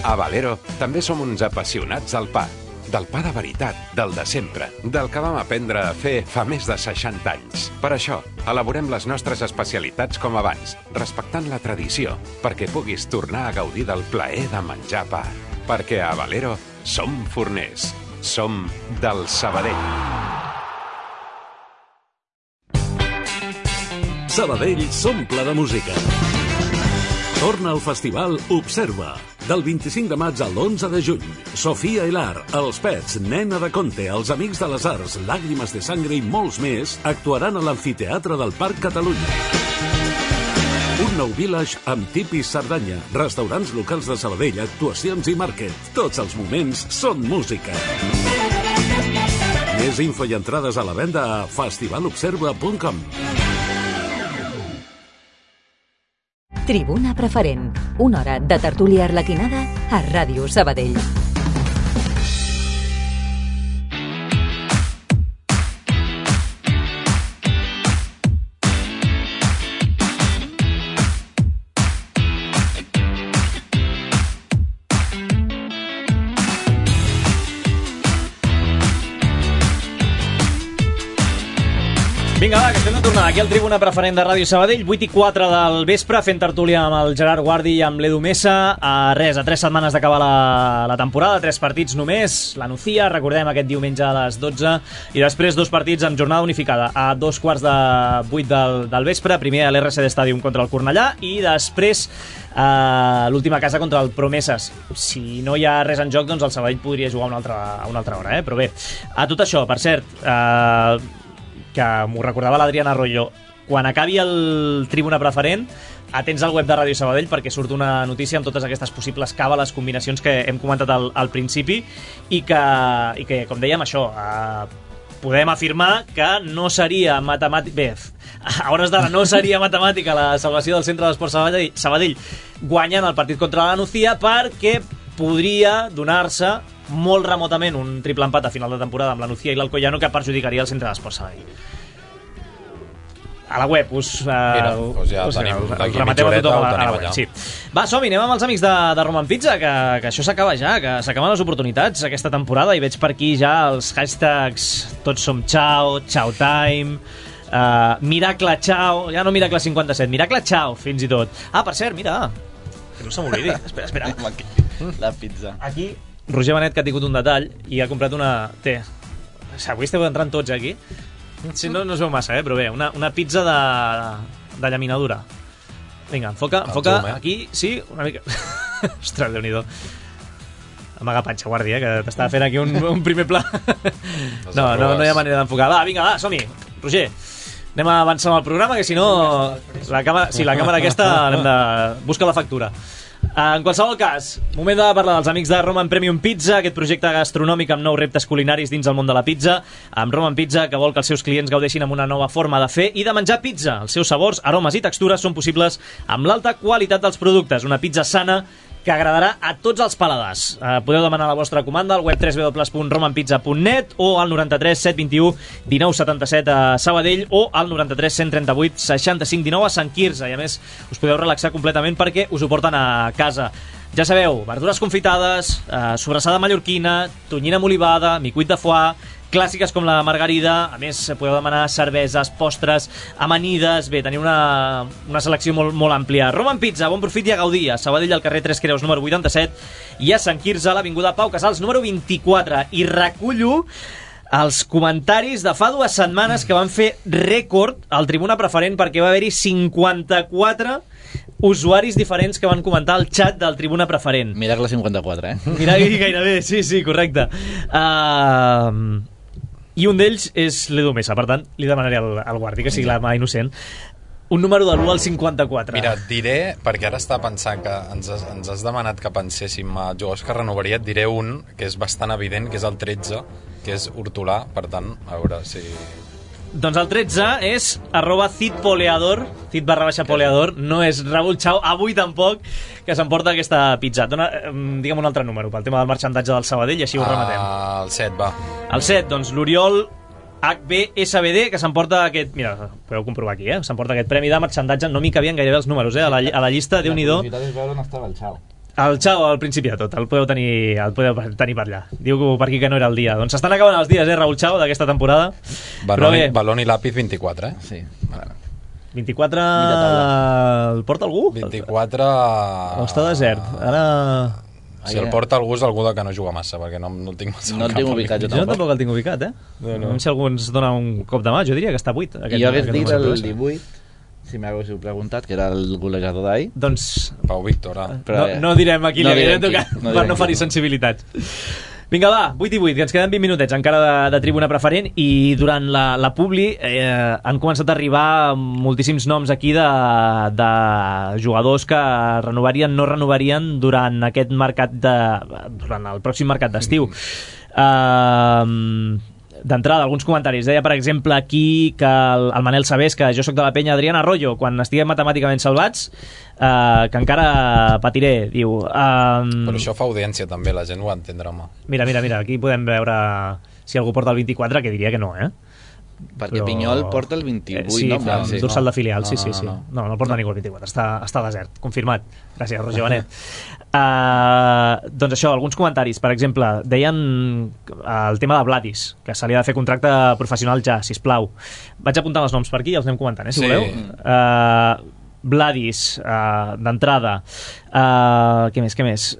A Valero també som uns apassionats del pa, del pa de veritat, del de sempre, del que vam aprendre a fer fa més de seixanta anys. Per això, elaborem les nostres especialitats com abans, respectant la tradició, perquè puguis tornar a gaudir del plaer de menjar pa. Perquè a Valero som forners, som del Sabadell. Sabadell s'omple de música. Torna al festival Observa. Del vint-i-cinc de maig al onze de juny. Sofia Hilar, Els Pets, Nena de Conte, Els Amics de les Arts, Làgrimes de Sangre i molts més actuaran a l'Amfiteatre del Parc Catalunya. Un nou village amb tipis Cerdanya, restaurants locals de Sabadell, actuacions i màrquet. Tots els moments són música. Més info i entrades a la venda a festivalobserva punt com. Tribuna Preferent, una hora de tertúlia arlequinada a Ràdio Sabadell. Vinga, va, que estem de tornada aquí al Tribuna Preferent de Ràdio Sabadell, vuit i quatre del vespre, fent tertúlia amb el Gerard Guardi i amb l'Edu Mesa. A res, a tres setmanes d'acabar la, la temporada, tres partits només. La Nucía, recordem, aquest diumenge a les dotze, i després dos partits amb jornada unificada a dos quarts de vuit del, del vespre. Primer a l'R C D Stadium contra el Cornellà i després a l'última casa contra el Promeses. Si no hi ha res en joc, doncs el Sabadell podria jugar una altra, a una altra hora, eh? Però bé, a tot això, per cert, eh, que m'ho recordava l'Adrián Arroyo, quan acabi el Tribuna Preferent, atents al web de Ràdio Sabadell perquè surt una notícia amb totes aquestes possibles càbales, combinacions que hem comentat al, al principi i que, i que, com dèiem, això, eh, podem afirmar que no seria matemàtic... Bé, a hores d'ara no seria matemàtica la salvació del centre d'esport Sabadell, Sabadell guanyant el partit contra la Nucía, perquè podria donar-se molt remotament un triple empat a final de temporada amb la Nucía i l'Alcoyano que perjudicaria el centre d'esport Sabadell. A la web us, uh, Mira, doncs ja us, tenim, us, us d'aquí remeteu a mitja tothom a horeta la, ho a la tenim web. allà. Sí. Va, som-hi, anem amb els amics de, de Roman Pizza, que, que això s'acaba ja, que s'acaben les oportunitats aquesta temporada, i veig per aquí ja els hashtags tots som Chao, Chao Time, uh, Miracle Chao, ja no Miracle cinquanta-set, Miracle Chao, fins i tot. Ah, per cert, mira, que no se m'oblidi, espera, espera. La pizza. Aquí, Roger Benet, que ha tingut un detall i ha comprat una... Té, avui esteu entrant tots aquí. Si no, no es veu massa, eh? Però bé, una, una pizza de, de llaminadura. Vinga, enfoca, enfoca zoom, eh? aquí, sí, una mica... Ostres, Déu-n'hi-do. Amaga panxa, guardi, eh? Que t'estava fent aquí un, un primer pla. No, no, no hi ha manera d'enfocar. Va, vinga, va, som-hi. Roger, anem a avançar amb el programa, que si no... La càmera, sí, la càmera aquesta anem de... Busca la factura. En qualsevol cas, moment de parlar dels amics de Roman Premium Pizza, aquest projecte gastronòmic amb nous reptes culinaris dins el món de la pizza, amb Roman Pizza, que vol que els seus clients gaudeixin amb una nova forma de fer i de menjar pizza. Els seus sabors, aromes i textures són possibles amb l'alta qualitat dels productes. Una pizza sana que agradarà a tots els paladars. Eh, podeu demanar la vostra comanda al web w w w punt roman pizza punt net o al noranta-tres set vint-i-u dinou setanta-set a Sabadell o al noranta-tres cent trenta-vuit seixanta-cinc dinou a Sant Quirze. I a més us podeu relaxar completament perquè us ho porten a casa. Ja sabeu, verdures confitades, eh, sobrassada mallorquina, tonyina amb olivada, micuit de foie, clàssiques com la margarida. A més, podeu demanar cerveses, postres, amanides. Bé, teniu una, una selecció molt, molt àmplia. Roman Pizza, bon profit i a gaudir. A Sabadell, al carrer Tres Creus, número vuitanta-set, i a Sant Quirze, a l'avinguda Pau Casals, número vint-i-quatre. I recullo els comentaris de fa dues setmanes que van fer rècord al Tribuna Preferent, perquè va haver-hi cinquanta-quatre usuaris diferents que van comentar el xat del Tribuna Preferent. Miracle cinquanta-quatre, eh? Miracle gairebé, sí, sí, correcte. Uh, I un d'ells és l'Edu Mesa, per tant, li demanaré al, al guardi que sigui la mà innocent. Un número de l'u al cinquanta-quatre. Mira, et diré, perquè ara està pensant que ens has, ens has demanat que penséssim a jugadors que renovaria, et diré un que és bastant evident, que és el tretze, que és Hortolà, per tant, a veure si... Doncs el tretze és arroba citpoleador, cit barra baixa poleador, no és Raúl Chao, avui tampoc, que s'emporta aquesta pizza. Dona, digue'm un altre número pel tema del marxandatge del Sabadell i així ho rematem. Uh, el set, va. El set, doncs l'Oriol H B S B D, que s'emporta aquest... Mira, podeu comprovar aquí, eh? S'emporta aquest premi de marxandatge. No m'hi cabien gairebé els números, eh? A la, a la llista, Déu-n'hi-do. La curiositat és veure on estava el Chao. El Chao al principi de tot, el podeu tenir, el podeu tenir per allà. Diu per aquí que no era el dia. Doncs s'estan acabant els dies, eh, Raúl Chao, d'aquesta temporada. Balón, balón i làpiz vint-i-quatre, eh? Sí, bueno. vint-i-quatre... El porta algú? vint-i-quatre... O està desert? Ara... Si el porta algú és algú que no juga massa, perquè no, no el tinc massa no el tinc ubicat, jo tampoc. Jo tampoc el tinc ubicat, eh? No, no. Si algú ens dona un cop de mà, jo diria que està buit. I jo hagués dit el divuit, si m'haguéssiu preguntat, que era el golejador d'ahir. Doncs... Pau Víctor, eh? No, no direm aquí, no li direm tocar, qui, no per no ferir sensibilitats. Vinga, va, vuit i vuit, que ens queden vint minutets encara de, de Tribuna Preferent, i durant la, la publi eh, han començat a arribar moltíssims noms aquí de, de jugadors que renovarien, no renovarien durant aquest mercat de... durant el pròxim mercat d'estiu. Uh, D'entrada, alguns comentaris. Deia, per exemple, aquí que el, el Manel Sabés, que jo sóc de la penya Adrián Arroyo, quan estiguem matemàticament salvats, eh, que encara patiré, diu... Um... Però això fa audiència també, la gent ho entendrà, home. Mira, mira, mira, aquí podem veure si algú porta el vint-i-quatre, que diria que no, eh? Perquè però... Pinyol porta el vint-i-vuit, eh, sí, no? Fa, Sí, dorsal no. de filial, no, sí, sí, no, sí. no. No, no porta ningú el vint-i-quatre, està, està desert, confirmat. Gràcies, Roger Benet. Uh, doncs això, alguns comentaris. Per exemple, deien el tema de Vladis, que se li ha de fer contracte professional ja, sisplau. Vaig apuntant els noms per aquí i els anem comentant, eh, si Sí. voleu. Uh, Vladis, uh, d'entrada. Uh, què més, què més?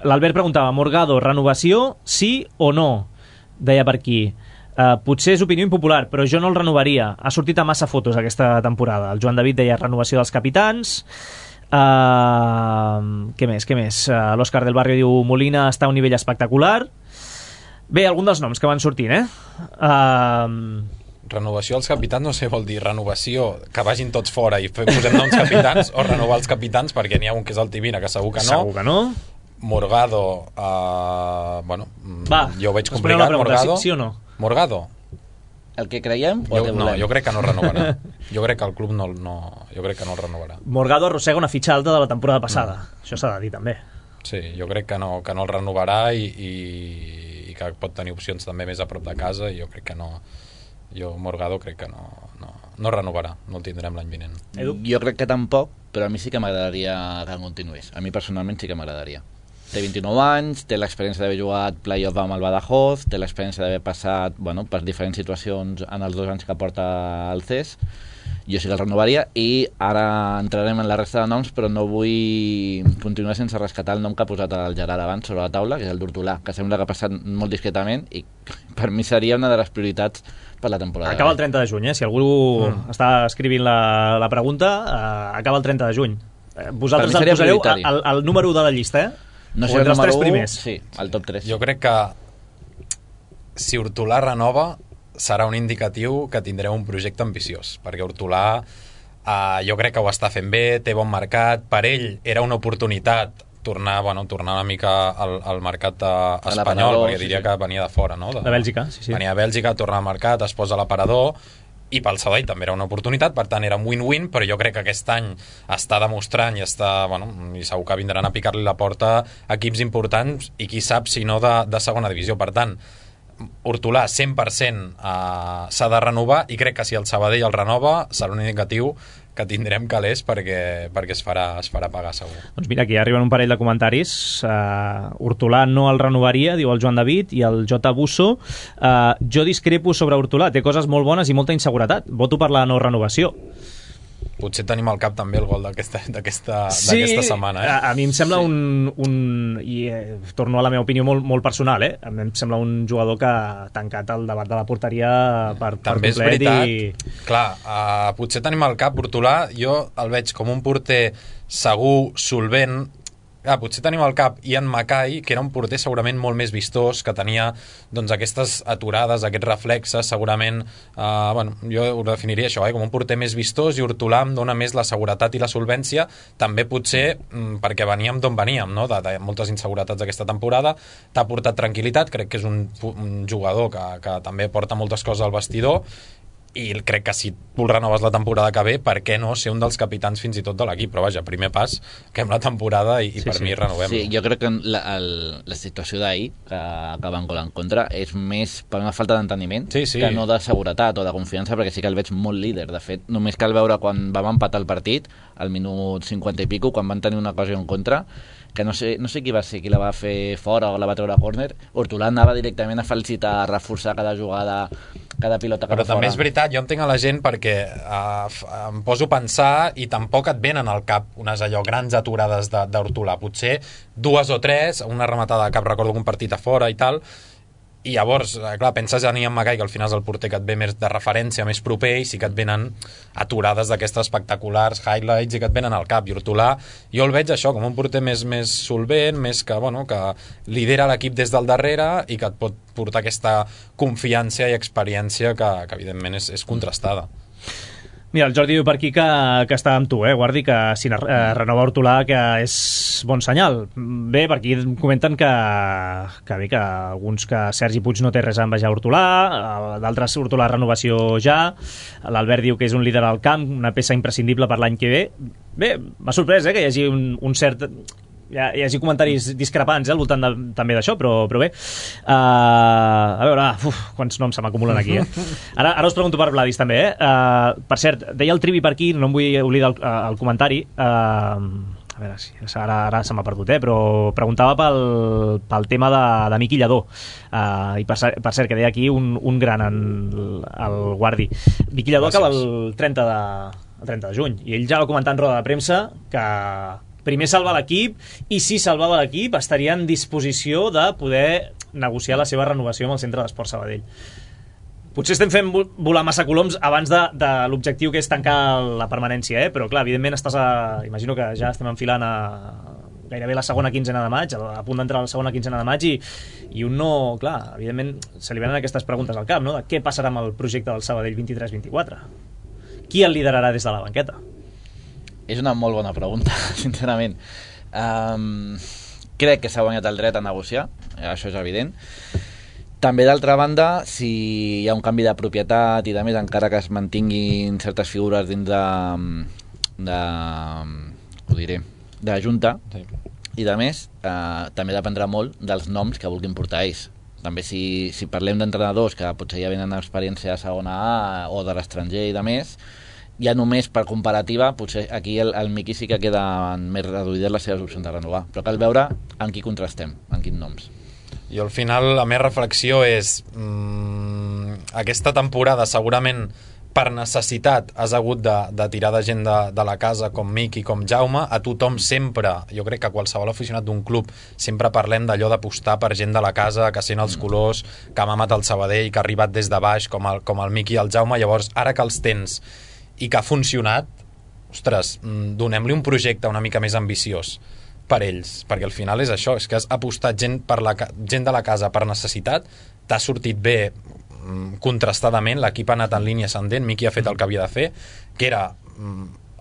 L'Albert preguntava, Morgado, renovació, sí o no? Deia per aquí. Uh, potser és opinió impopular, però jo no el renovaria. Ha sortit a massa fotos aquesta temporada. El Joan David deia renovació dels capitans. Uh, què més, què més? Uh, L'Òscar del Barrio diu Molina està a un nivell espectacular. Bé, algun dels noms que van sortint, eh? Uh, Renovació als capitans, no sé, vol dir renovació, que vagin tots fora i posem noms capitans, o renovar els capitans, perquè n'hi ha un que és el Tibina, que segur que no. Segur que no. Morgado, uh, bueno, Va, jo ho veig responem la complicat. pregunta, Morgado, sí, sí o no? Morgado? El que creiem o el Jo, que no, volem? jo crec que no renovarà. Jo crec que el club no, no, jo crec que no el renovarà. Morgado arrossega una fitxa alta de la temporada passada. Mm. Això s'ha de dir, també. Sí, jo crec que no, que no el renovarà i, i, i que pot tenir opcions també més a prop de casa i jo crec que no... Jo, Morgado, crec que no, no, no renovarà, no el tindrem l'any vinent. Edu? Jo crec que tampoc, però a mi sí que m'agradaria que continués. A mi personalment sí que m'agradaria. Té vint-i-nou anys, té l'experiència d'haver jugat play-off amb el Badajoz, té l'experiència d'haver passat bueno, per diferents situacions en els dos anys que porta el C E S. Jo sí que el renovaria i ara entrarem en la resta de noms, però no vull continuar sense rescatar el nom que ha posat el Gerard abans sobre la taula, que és el d'Hortolà, que sembla que ha passat molt discretament i per mi seria una de les prioritats per la temporada. Acaba el trenta de juny, eh? Si algú mm. està escrivint la, la pregunta, uh, acaba el trenta de juny. Eh, vosaltres el posareu al, al número u de la llista, eh? No o sé, entre els tres u, primers. Sí, al top tres. Jo crec que si Hortolà renova serà un indicatiu que tindreu un projecte ambiciós, perquè Hortolà eh, jo crec que ho està fent bé, té bon mercat, per ell era una oportunitat tornar, bueno, tornar una mica al, al mercat eh, espanyol, perquè diria sí, sí. que venia de fora, no? De, de Bèlgica, sí, sí. Venia de Bèlgica, tornar al mercat, es posa a l'aparador, i pel Sabadell també era una oportunitat, per tant era un win-win, però jo crec que aquest any està demostrant i està, bueno, i segur que vindran a picar-li la porta equips importants i qui sap si no de, de segona divisió. Per tant, Hortolà cent per cent eh, s'ha de renovar i crec que si el Sabadell el renova serà un indicatiu que tindrem calés perquè, perquè es, farà, es farà pagar segur. Doncs mira, aquí arriben un parell de comentaris. Uh, Hortolà no el renovaria, diu el Joan David, i el J. Busso. Uh, jo discrepo sobre Hortolà, té coses molt bones i molta inseguretat. Voto per la no renovació. Potser tenim al cap també el gol d'aquesta sí, setmana. Eh? A, a mi em sembla sí. un... un i eh, torno a la meva opinió molt, molt personal, eh? A mi em sembla un jugador que ha tancat el debat de la porteria per, també per complet. És veritat. I... Clar, uh, potser tenim al cap Hortolà, jo el veig com un porter segur, solvent. Ah, potser tenim al cap Ian Mackay, que era un porter segurament molt més vistós, que tenia doncs, aquestes aturades, aquests reflexes, segurament, eh, bueno, jo ho definiria això, eh, com un porter més vistós, i Hortolà em dona més la seguretat i la solvència, també potser mm, perquè veníem d'on veníem, no? de, de moltes inseguretats aquesta temporada, t'ha portat tranquil·litat, crec que és un, un jugador que, que també porta moltes coses al vestidor, i crec que si tu renoves la temporada que ve, per què no ser un dels capitans fins i tot de l'equip, però vaja, primer pas que hem la temporada i, i sí, per sí. mi renovem. Sí, jo crec que la, el, la situació d'ahir que, que van gol en contra és més per una falta d'enteniment sí, sí. que no de seguretat o de confiança, perquè sí que el veig molt líder. De fet, només cal veure quan vam empatar el partit al minut cinquanta i pico, quan van tenir una ocasió en contra, que no sé, no sé qui va ser, qui la va fer fora o la va treure a córner. Hortolà anava directament a felicitar, a reforçar cada jugada, cada pilota que però va fora. També és veritat, jo entenc a la gent perquè uh, em poso a pensar i tampoc et venen al cap unes allò grans aturades d'Hortolà, potser dues o tres, una rematada de cap, recordo un partit a fora i tal, i llavors, clar, penses en Ian Mackay, que al final és el porter que et ve més de referència, més proper, i sí que et venen aturades d'aquestes espectaculars, highlights, i que et venen al cap. I Hortolà, jo el veig això, com un porter més, més solvent, més que, bueno, que lidera l'equip des del darrere i que et pot portar aquesta confiança i experiència que, que evidentment és, és contrastada. Mira, el Jordi diu per aquí que, que està amb tu, eh, Guardi, que si eh, renova Hortolà, que és bon senyal. Bé, per aquí comenten que, que bé, que alguns que Sergi Puig no té res a envejar Hortolà, d'altres Hortolà renovació ja, l'Albert diu que és un líder al camp, una peça imprescindible per l'any que ve. Bé, m'ha sorprès, eh, que hi hagi un, un cert hi, ha, hi hagi comentaris discrepants eh, al voltant de, també d'això, però, però bé. Uh, a veure, uf, quants noms se m'acumulen aquí, eh? Ara, ara us pregunto per Vladis, també, eh? Uh, per cert, deia el Trivi per aquí, no em vull oblidar el, el comentari, uh, a veure, si ara, ara se m'ha perdut, eh? Però preguntava pel, pel tema de, de Miqui Lladó, uh, i per, per cert, que deia aquí un, un gran en el Guardi. Miqui Lladó acaba el trenta de, el trenta de juny, i ell ja va comentar en roda de premsa que primer salvar l'equip, i si salvava l'equip estaria en disposició de poder negociar la seva renovació amb el Centre d'Esport Sabadell. Potser estem fent volar massa coloms abans de, de l'objectiu que és tancar la permanència, eh? Però clar, evidentment estàs a... imagino que ja estem enfilant a gairebé la segona quinzena de maig, a punt d'entrar a la segona quinzena de maig, i, i un no... Clar, evidentment se li venen aquestes preguntes al cap, no? De què passarà amb el projecte del Sabadell vint-i-tres vint-i-quatre? Qui el liderarà des de la banqueta? És una molt bona pregunta, sincerament. Um, crec que s'ha guanyat el dret a negociar, això és evident. També, d'altra banda, si hi ha un canvi de propietat i de més, encara que es mantinguin certes figures dins de... de ho diré, de la Junta, sí. I de més, eh, també dependrà molt dels noms que vulguin portar ells. També si, si parlem d'entrenadors que potser ja venen experiència a segona A o de l'estranger i de més, ja només per comparativa, potser aquí el, el Miqui sí que queden més reduïdes les seves opcions de renovar, però cal veure en qui contrastem, en quins noms. I al final la meva reflexió és mmm, aquesta temporada segurament per necessitat has hagut de, de tirar de gent de, de la casa com Miqui, com Jaume. A tothom sempre, jo crec que qualsevol aficionat d'un club, sempre parlem d'allò d'apostar per gent de la casa, que sent els colors, que ha mamat el Sabadell, que ha arribat des de baix, com el, com el Miqui i el Jaume. Llavors, ara que els tens i que ha funcionat, ostres, donem-li un projecte una mica més ambiciós per ells, perquè al final és això, és que has apostat gent, per la, gent de la casa per necessitat, t'ha sortit bé contrastadament, l'equip ha anat en línia ascendent, Miqui ha fet el que havia de fer, que era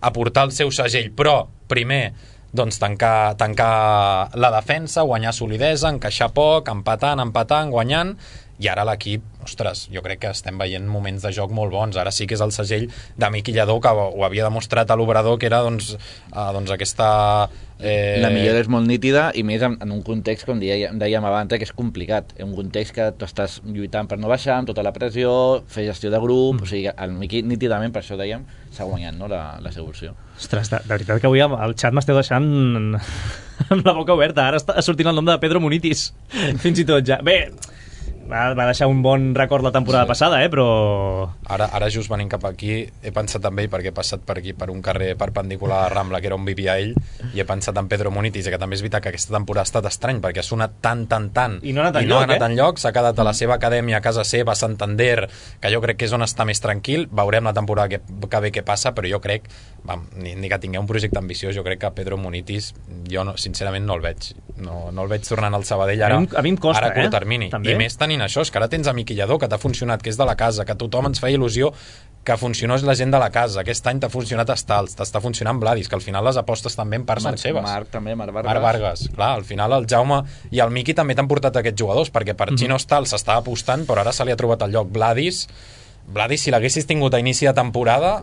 aportar el seu segell, però primer doncs tancar, tancar la defensa, guanyar solidesa, encaixar poc, empatant, empatant, guanyant, i ara l'equip, ostres, jo crec que estem veient moments de joc molt bons. Ara sí que és el segell de Miqui Lladó, que ho havia demostrat a l'Obrador, que era doncs, eh, doncs aquesta... Eh... La millora és molt nítida, i més en, en un context, com dèiem, dèiem abans, que és complicat. En un context que tu estàs lluitant per no baixar, amb tota la pressió, fer gestió de grup, mm. o sigui, el Miqui nítidament, per això dèiem, s'ha guanyat, no, la, la seva opció. Ostres, de, de veritat que avui al xat m'esteu deixant amb la boca oberta. Ara està sortint el nom de Pedro Munitis, fins i tot ja. Bé, va, va deixar un bon record la temporada sí. passada, eh, però... Ara, ara just venint cap aquí, he pensat en ell perquè he passat per aquí, per un carrer perpendicular a la Rambla, que era on vivia ell, i he pensat en Pedro Munitis, que també és veritat que aquesta temporada ha estat estrany, perquè ha sonat tant, tant, tant, i no ha anat i no enlloc, ha anat eh? enlloc, s'ha quedat a la seva acadèmia, a casa seva, a Santander, que jo crec que és on està més tranquil. Veurem la temporada que, que ve què passa, però jo crec, vam, ni, ni que tingueu un projecte ambiciós, jo crec que Pedro Munitis, jo no, sincerament no el veig, no, no el veig tornant al Sabadell ara, a mi, a mi em costa, ara a curt eh? termini, també. I més tenint això, és que ara tens a Miqui Lladó, que t'ha funcionat, que és de la casa, que tothom ens feia il·lusió que funcionés la gent de la casa. Aquest any t'ha funcionat Estals, t'està funcionant Vladis, que al final les apostes també en part Marc, són seves. Marc també, Marc Vargas. Marc Vargas, clar, al final el Jaume i el Miqui també t'han portat aquests jugadors, perquè per mm-hmm. Gino Estals s'estava apostant, però ara se li ha trobat el lloc. Vladis, Vladis, si l'haguessis tingut a inici de temporada...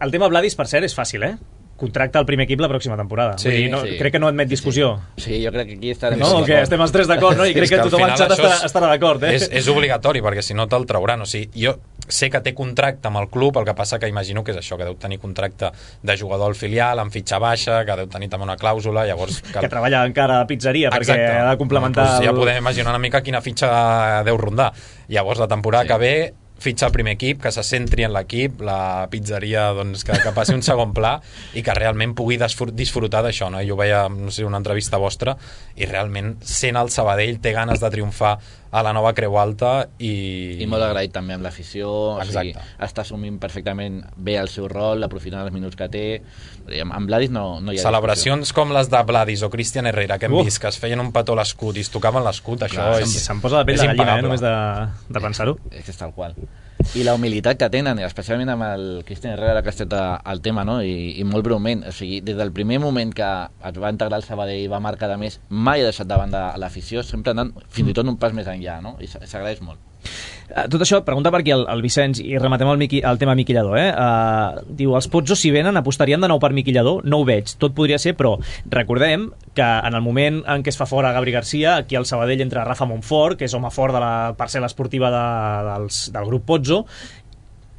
El tema Vladis, per cert, és fàcil, eh? Contracta el primer equip la pròxima temporada. Sí, Vull dir, no, sí. Crec que no admet discussió. Sí, sí jo crec que aquí estarem... No, que estem els tres d'acord, no? I crec que, que tothom al xat estarà, estarà d'acord, eh? És, és obligatori, perquè si no te'l trauran. O sigui, jo sé que té contracte amb el club, el que passa que imagino que és això, que deu tenir contracte de jugador al filial, amb fitxa baixa, que deu tenir també una clàusula, llavors... Que, que treballa encara a pizzeria, Exacte. Perquè ha de complementar... Doncs ja el... podem imaginar una mica quina fitxa deu rondar. Llavors, la temporada sí. que ve... fitxa el primer equip, que se centri en l'equip, la pizzeria, doncs, que, que passi un segon pla i que realment pugui disfrutar d'això, no? Jo veia, no sé, una entrevista vostra i realment sent el Sabadell té ganes de triomfar a la nova Creu Alta i... I molt agraït també amb l'afició, o sigui, està assumint perfectament bé el seu rol, aprofitant els minuts que té. Amb Vladis no, no hi ha celebracions discussió. Com les de Vladis o Cristian Herrera, que hem uh. vist, que es feien un petó a l'escut i es tocaven l'escut, això Clar, és... Se'm posa la pell de gallina, eh, només de, de pensar-ho. És que és tal qual. I la humilitat que tenen, especialment amb el Cristian Herrera, que ha estat el tema, no? I, i molt breument, o sigui, des del primer moment que es va integrar el Sabadell i va marcar de més, mai ha deixat davant de l'afició, sempre anant fins i tot un pas més enllà, no? I s'agraeix molt. Tot això, pregunta per aquí el, el Vicenç, i rematem el, Miqui, el tema Miqui Lladó. Eh? Uh, diu, els Pozzo, si venen, apostarien de nou per Miqui Lladó? No ho veig, tot podria ser, però recordem que en el moment en què es fa fora Gabri Garcia, aquí al Sabadell entra Rafa Montfort, que és home fort de la parcel·la esportiva de, dels, del grup Pozzo,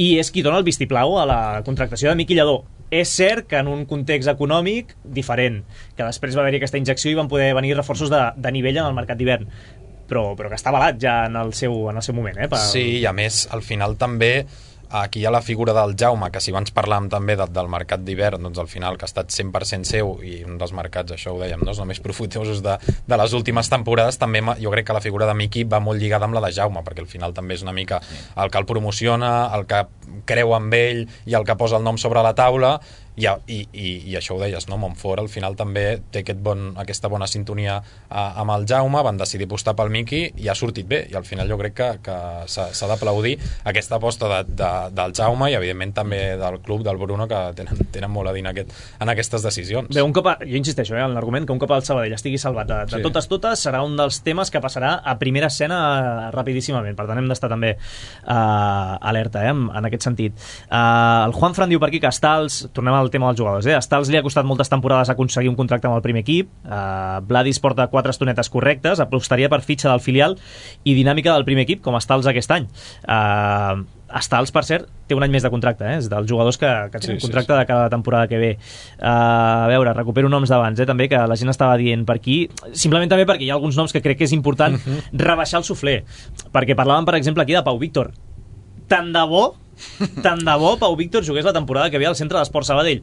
i és qui dona el vistiplau a la contractació de Miqui Lladó. És cert que en un context econòmic diferent, que després va haver-hi aquesta injecció i van poder venir reforços de, de nivell en el mercat d'hivern, però, però que està avalat ja en el seu, en el seu moment. Eh, per... Sí, i a més, al final també aquí hi ha la figura del Jaume, que si abans parlàvem també de, del mercat d'hivern, doncs al final que ha estat cent per cent seu, i un dels mercats, això ho dèiem, no? Els més profitosos de, de les últimes temporades, també jo crec que la figura de Miqui va molt lligada amb la de Jaume, perquè al final també és una mica el que el promociona, el que creu amb ell i el que posa el nom sobre la taula, i, i, i, i això ho deies, no? Montfort al final també té aquest bon, aquesta bona sintonia a, amb el Jaume, van decidir apostar pel Miqui i ha sortit bé, i al final jo crec que, que s'ha d'aplaudir aquesta aposta de, de, del Jaume i evidentment també del club, del Bruno, que tenen, tenen molt a dir en, aquest, en aquestes decisions. Bé, un cop a, jo insisteixo eh, en l'argument que un cop el Sabadell estigui salvat de, de sí. totes totes serà un dels temes que passarà a primera escena rapidíssimament, per tant hem d'estar també uh, alerta eh, en, en aquest sentit. Uh, el Juan Fran diu per aquí que Stals, tornem al tema dels jugadors, eh? Stals li ha costat moltes temporades aconseguir un contracte amb el primer equip, uh, Vladis porta quatre estonetes correctes, apostaria per fitxa del filial i dinàmica del primer equip com Stals aquest any. uh, Stals, per cert, té un any més de contracte, eh? És dels jugadors que, que tenen sí, contracte sí, sí. de cada temporada que ve. Uh, a veure, recupero noms d'abans, eh? També que la gent estava dient per aquí, simplement també perquè hi ha alguns noms que crec que és important uh-huh. rebaixar el suflé, perquè parlaven, per exemple, aquí de Pau Víctor. Tant de bo tant de bo Pau Víctor jugués la temporada que ve al Centre d'Esport Sabadell.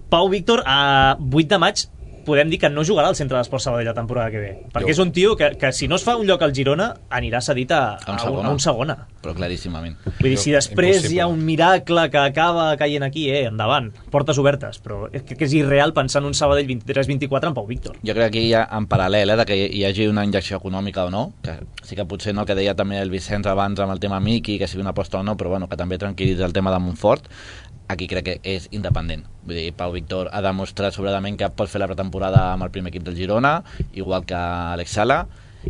Pau Víctor a vuit de maig podem dir que no jugarà al Centre d'Esport Sabadell la temporada que ve, perquè jo. és un tio que, que si no es fa un lloc al Girona anirà cedit a, a, un, segona. a un segona, però claríssimament. Vull dir, si després Impossible. hi ha un miracle que acaba caient aquí, eh, endavant, portes obertes, però és que, que és irreal pensar en un Sabadell vint-i-tres vint-i-quatre amb Pau Víctor. Jo crec que aquí hi ha en paral·lel eh, de que hi hagi una injecció econòmica o no, que sí que potser no, el que deia també el Vicenç abans amb el tema Miqui, que sigui una aposta o no, però bueno, que també tranquil·litza el tema de Montfort. Aquí crec que és independent. Vull dir, Pau Víctor ha demostrat sobradament que pot fer la pretemporada amb el primer equip del Girona, igual que Alex Sala,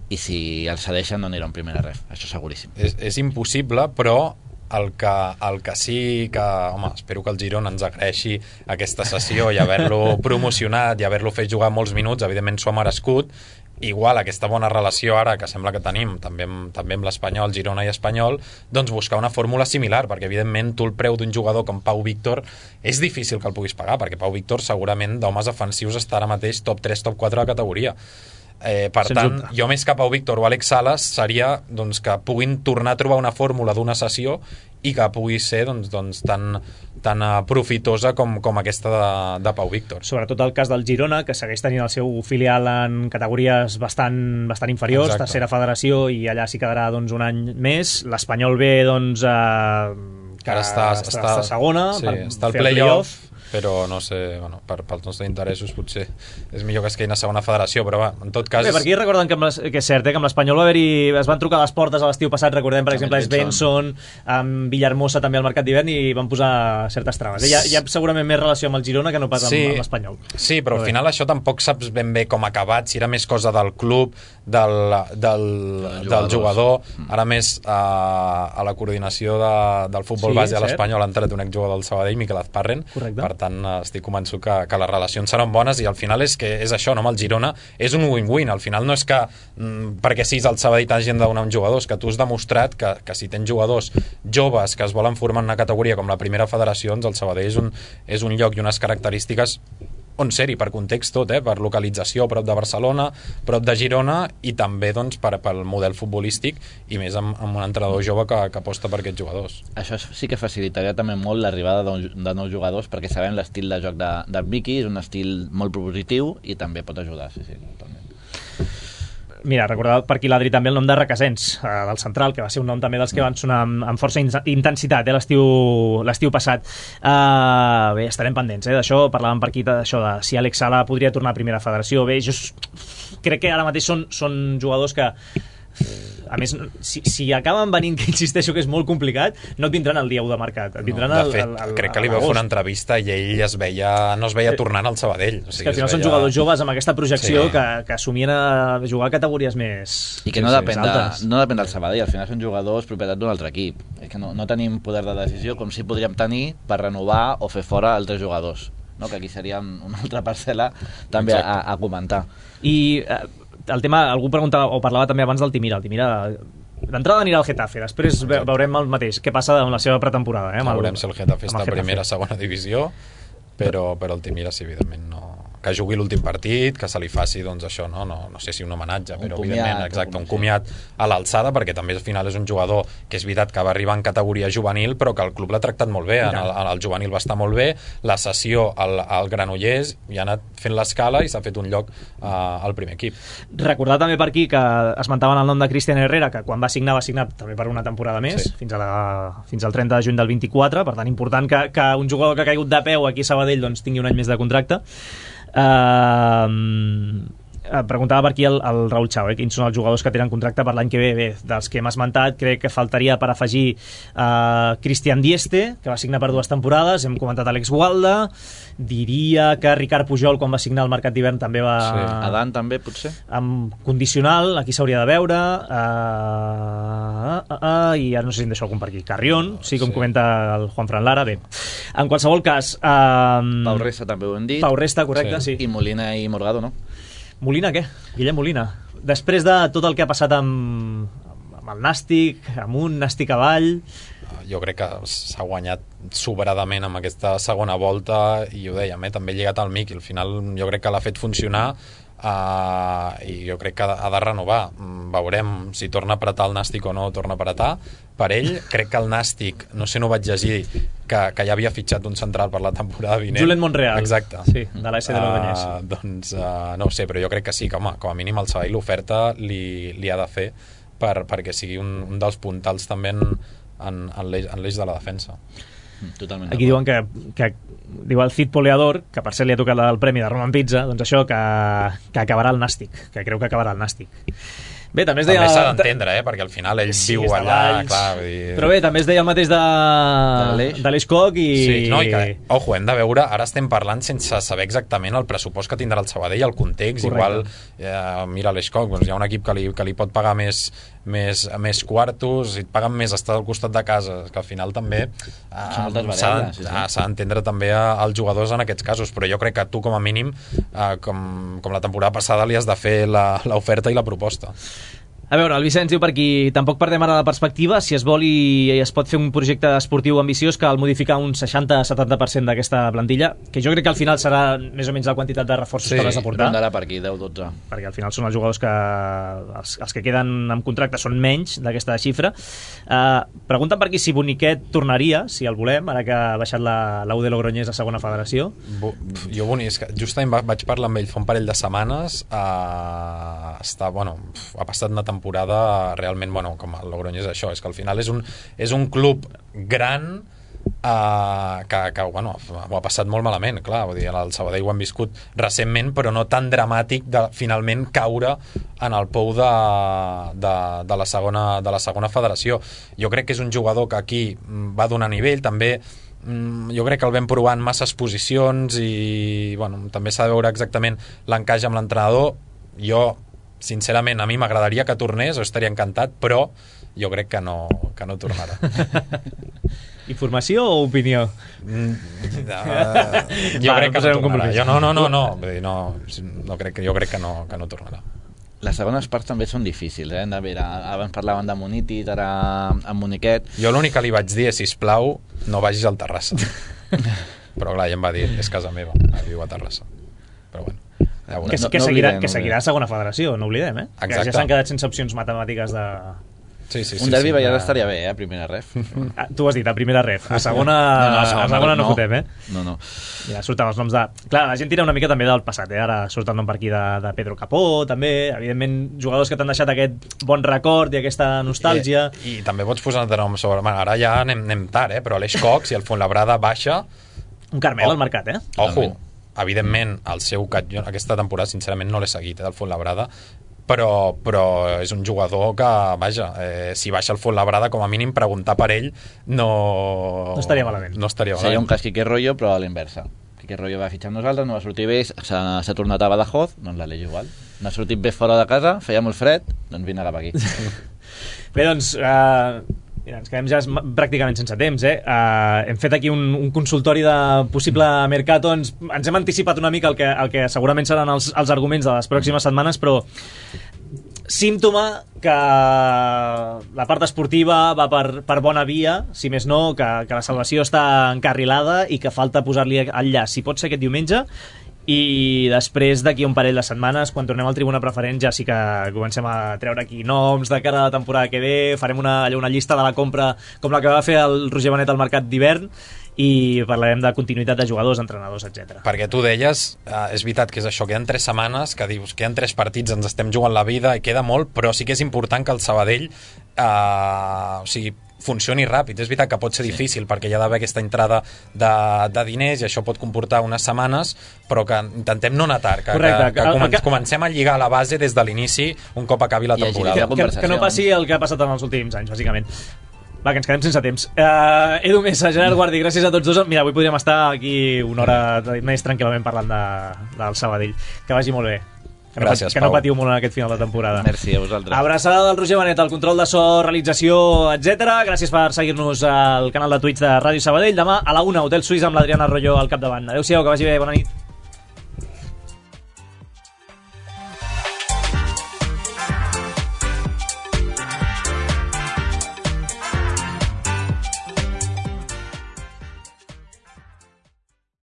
i si el cedeixen no anirà un primer ref, això seguríssim. És, és impossible, però el que, el que sí que, home, espero que el Girona ens agraeixi aquesta sessió i haver-lo promocionat i haver-lo fet jugar molts minuts, evidentment s'ho ha merescut. Igual aquesta bona relació ara que sembla que tenim també amb, també amb l'Espanyol, Girona i Espanyol, doncs buscar una fórmula similar, perquè evidentment tu el preu d'un jugador com Pau Víctor és difícil que el puguis pagar, perquè Pau Víctor segurament d'homes ofensius està ara mateix top tres, top quatre de categoria. Eh, per Sense tant, dubte. jo més que Pau Víctor o Àlex Sales seria doncs, que puguin tornar a trobar una fórmula d'una sessió i que pugui ser doncs, doncs, tan, tan uh, profitosa com, com aquesta de, de Pau Víctor. Sobretot el cas del Girona, que segueix tenint el seu filial en categories bastant, bastant inferiors, Exacte. tercera federació, i allà s'hi quedarà doncs, un any més. L'Espanyol B, doncs, eh, que ara està, està, està, està segona, sí, per està al fer el play-off, però no sé, bueno, per, pels nostres interessos potser és millor que es quedin a segona federació, però va, en tot cas... Bé, per aquí recorden que, amb les, que és cert, eh, que amb l'Espanyol va haver-hi, es van trucar a les portes a l'estiu passat, recordem, per exemple, Svensson, amb Villahermosa també al mercat d'hivern, i van posar certes traves. Hi ha, hi ha segurament més relació amb el Girona que no pas amb, sí, amb l'Espanyol. Sí, però, però al final això tampoc saps ben bé com ha acabat, si era més cosa del club, del, del, del jugador, ara més a, a la coordinació de, del futbol sí, base a l'Espanyol ha entrat un exjugador del Sabadell, Miquel Azparren. Correcte. Per tant, estic convençut que, que les relacions seran bones, i al final és que és això, no? Amb el Girona és un win-win, al final no és que mm, perquè siguis el Sabadell t'hagin de donar un jugador, és que tu has demostrat que, que si tens jugadors joves que es volen formar en una categoria com la primera federació, doncs el Sabadell és un, és un lloc i unes característiques on ser-hi, per context tot, eh? Per localització, prop de Barcelona, prop de Girona, i també doncs, per, pel model futbolístic, i més amb, amb un entrenador jove que, que aposta per aquests jugadors. Això sí que facilitaria també molt l'arribada de, de nous jugadors, perquè sabem l'estil de joc de, de Miqui, és un estil molt propositiu i també pot ajudar, sí, sí, totalment. Mira, recordava per aquí l'Adri també el nom de Requesens, eh, del central, que va ser un nom també dels que van sonar amb, amb força in intensitat eh, l'estiu passat. Uh, bé, estarem pendents eh, d'això, parlàvem per aquí d'això de si Àlex Sala podria tornar a primera federació. Bé, jo crec que ara mateix són, són jugadors que a més, si, si acaben venint, que insisteixo que és molt complicat, no et vindran el dia u de mercat, et vindran no, el, de fet, el, el, crec que li vau fer una entrevista i ell es veia, no es veia tornant al Sabadell. O sigui, és que al final veia... són jugadors joves amb aquesta projecció Sí. que, que assumien a jugar a categories més I que no, més depèn de, altes. no depèn del Sabadell, al final són jugadors propietat d'un altre equip. És que no, no tenim poder de decisió com si podríem tenir per renovar o fer fora altres jugadors, no? Que aquí seria una altra parcel·la també a, a comentar. I eh, el tema, algú preguntava o parlava també abans del Timira. El Timira d'entrada anirà al Getafe, després ve, veurem el mateix, què passa amb la seva pretemporada. Eh, amb el, veurem si el Getafe està a Getafe. primera, segona divisió, però, però el Timira, sí, evidentment, no... que jugui l'últim partit, que se li faci, doncs això, no, no, no sé si un homenatge, Un però comiat, evidentment, exacte, un un comiat a l'alçada, perquè també al final és un jugador que és veritat que va arribar en categoria juvenil, però que el club l'ha tractat molt bé, en el, en el juvenil va estar molt bé, la sessió al, al Granollers i ha anat fent l'escala i s'ha fet un lloc uh, al primer equip. Recordar també per aquí que esmentaven el nom de Cristian Herrera, que quan va signar va signar també per una temporada més, Sí. fins, a la, fins al trenta de juny del vint-i-quatre, per tant important que, que un jugador que ha caigut de peu aquí a Sabadell doncs, tingui un any més de contracte. Uh, preguntava per aquí el, el Raül Chau, eh, quins són els jugadors que tenen contracte per l'any que ve. Bé, dels que hem esmentat, crec que faltaria per afegir uh, Cristian Dieste, que va signar per dues temporades, hem comentat Alex Gualda, diria que Ricard Pujol, quan va signar el mercat d'hivern, també va... Sí. Adan també, potser? amb condicional, aquí s'hauria de veure, uh, uh, uh, i ara no sé si em deixo algun per aquí. Carrion, sí, com Sí. comenta el Juan Fran Lara. Bé, en qualsevol cas... Uh, Pau Resta també ho hem dit. Pau Resta, correcte, sí. Sí. I Molina i Morgado, no? Molina, què? Guillem Molina. Després de tot el que ha passat amb, amb el Nàstic, amunt, Nàstic avall... Jo crec que s'ha guanyat sobradament amb aquesta segona volta i ho dèiem, eh? També lligat al Miqui, al final jo crec que l'ha fet funcionar uh, i jo crec que ha de, ha de renovar. Veurem si torna a apretar el Nàstic o no torna a apretar. Per ell, crec que el Nàstic, no sé, no vaig llegir que, que ja havia fitxat un central per la temporada vinent. Julen Monreal. Exacte. Sí, de l'A S de l'Ordanyès. Uh, doncs uh, no ho sé, però jo crec que sí, que home, com a mínim el Sabadell l'oferta li, li ha de fer per, perquè sigui un, un dels puntals també en, en, en l'eix de la defensa. Totalment. Aquí diuen que, que diu el Cid Poleador, que per cert li ha tocat el premi de Roman Pizza, doncs això, que, que acabarà el Nàstic, que creu que acabarà el Nàstic. Bé, també es deia... També s'ha d'entendre, eh? Perquè al final ell Sí, viu és de allà, Valls. clar, vull dir... Però bé, també es deia el mateix de, l'Aleix. de l'Eix Coc i... Sí, no, i que, ojo, hem de veure, ara estem parlant sense saber exactament el pressupost que tindrà el Sabadell, el context, Correcte. igual, eh, mira l'Eix Coc, doncs hi ha un equip que li, que li pot pagar més, més, més quartos, i et paguen més estar al costat de casa, que al final també eh, Són moltes s'ha variables, sí, sí. ah, s'ha d'entendre també a- als jugadors en aquests casos, però jo crec que tu com a mínim, eh, com, com la temporada passada, li has de fer la- l'oferta i la proposta. A veure, el Vicenç diu per aquí, tampoc perdem ara la perspectiva, si es vol i, i es pot fer un projecte esportiu ambiciós, cal modificar un seixanta a setanta per cent d'aquesta plantilla, que jo crec que al final serà més o menys la quantitat de reforços Sí, que has de portar, Rondarà per aquí, deu dotze. perquè al final són els jugadors que els, els que queden amb contracte són menys d'aquesta xifra. Uh, pregunten per aquí si Boniquet tornaria, si el volem, ara que ha baixat la, la U de Logroñés a segona federació. Bo, pf, jo bonic, és que justament va, vaig parlar amb ell fa un parell de setmanes, uh, està, bueno, pf, ha passat una temporada realment, bueno, com el Logroñés és això, és que al final és un, és un club gran uh, que, que bueno, ho ha passat molt malament, clar, vull dir, el Sabadell ho hem viscut recentment, però no tan dramàtic de finalment caure en el pou de, de, de, la segona, de la segona federació. Jo crec que és un jugador que aquí va donar nivell, també jo crec que el vam provar en masses posicions i bueno, també s'ha de veure exactament l'encaix amb l'entrenador. Jo, sincerament, a mi m'agradaria que tornés, o estaria encantat, però jo crec que no, que no tornarà. Informació o opinió? Mm, uh, jo Va, crec no que posem no un tornarà. compromís. Jo, no, no, no, no. Vull dir, no, no crec, jo crec que no, que no tornarà. Les segones parts també són difícils, eh? De veure, abans parlaven de Munitit, ara amb Moniquet. Jo l'únic que li vaig dir és, sisplau, no vagis al Terrassa. Però clar, ja em va dir, és casa meva, viu a Terrassa. Però bueno, ja Que, veurem. que, no seguirà, oblidem, que seguirà a segona federació, no oblidem, eh? Que Exacte. ja s'han quedat sense opcions matemàtiques de... Sí, sí, sí, Un derbi sí, ja de- estaria bé, eh? A primera ref. Ah, tu ho has dit, a primera ref. A segona no, no, a segona no, no fotem, eh? No, no. Ja surten els noms de... Clar, la gent tira una mica també del passat, eh? Ara surt el nom per aquí de, de Pedro Capó, també. Evidentment, jugadors que t'han deixat aquest bon record i aquesta nostàlgia. I, i també pots posar de nom sobre... Bueno, ara ja anem, anem tard, eh? Però l'Eix Cox i el Fuenlabrada baixa... Un Carmel Oh. al mercat, eh? Ojo, evidentment, el seu... Jo aquesta temporada, sincerament, no l'he seguit, eh, del Fuenlabrada. però, però és un jugador que, vaja, eh, si baixa el Fuenlabrada, com a mínim preguntar per ell no, no estaria malament. No estaria malament. Seria un cas Quique Rollo, però a l'inversa. Quique Rollo va fitxar amb nosaltres, no va sortir bé, s'ha tornat a Badajoz, doncs l'Aleix igual. No ha sortit bé fora de casa, feia molt fred, doncs vine cap aquí. Bé, doncs, uh, mira, ens quedem ja pràcticament sense temps, eh? Uh, hem fet aquí un, un consultori de possible mercato, ens, ens hem anticipat una mica el que, el que segurament seran els, els arguments de les pròximes setmanes, però símptoma que la part esportiva va per, per bona via, si més no, que, que la salvació està encarrilada i que falta posar-li el llaç, si pot ser aquest diumenge, i després d'aquí un parell de setmanes, quan tornem al Tribuna Preferent, ja sí que comencem a treure aquí noms de cara a la temporada que ve, farem una, una llista de la compra com la que va fer el Roger Benet al mercat d'hivern, i parlarem de continuïtat de jugadors, entrenadors, etcètera. Perquè tu deies, eh, és veritat que és això, queden tres setmanes, que dius, queden tres partits, ens estem jugant la vida i queda molt, però sí que és important que el Sabadell eh, o sigui, funcioni ràpid. És veritat que pot ser sí. difícil perquè hi ha d'haver aquesta entrada de, de diners i això pot comportar unes setmanes, però que intentem no anar tard, que, Correcte, que, que, que, que comencem a lligar la base des de l'inici un cop acabi la temporada. Que, que, que no passi el que ha passat en els últims anys, bàsicament. Va, que ens quedem sense temps. Uh, Edu Mesa, Gerard Guardi, gràcies a tots dos. Mira, avui podríem estar aquí una hora més tranquil·lament parlant de, del Sabadell. Que vagi molt bé. Que no, Gràcies, que no patiu molt en aquest final de temporada. Merci a vosaltres. Abraçada del Roger Benet, el control de so, realització, etcètera. Gràcies per seguir-nos al canal de Twitch de Ràdio Sabadell. Demà a la una, Hotel Suís amb l'Adriana Arroyo al capdavant. Adéu-siau, que vagi bé, bona nit.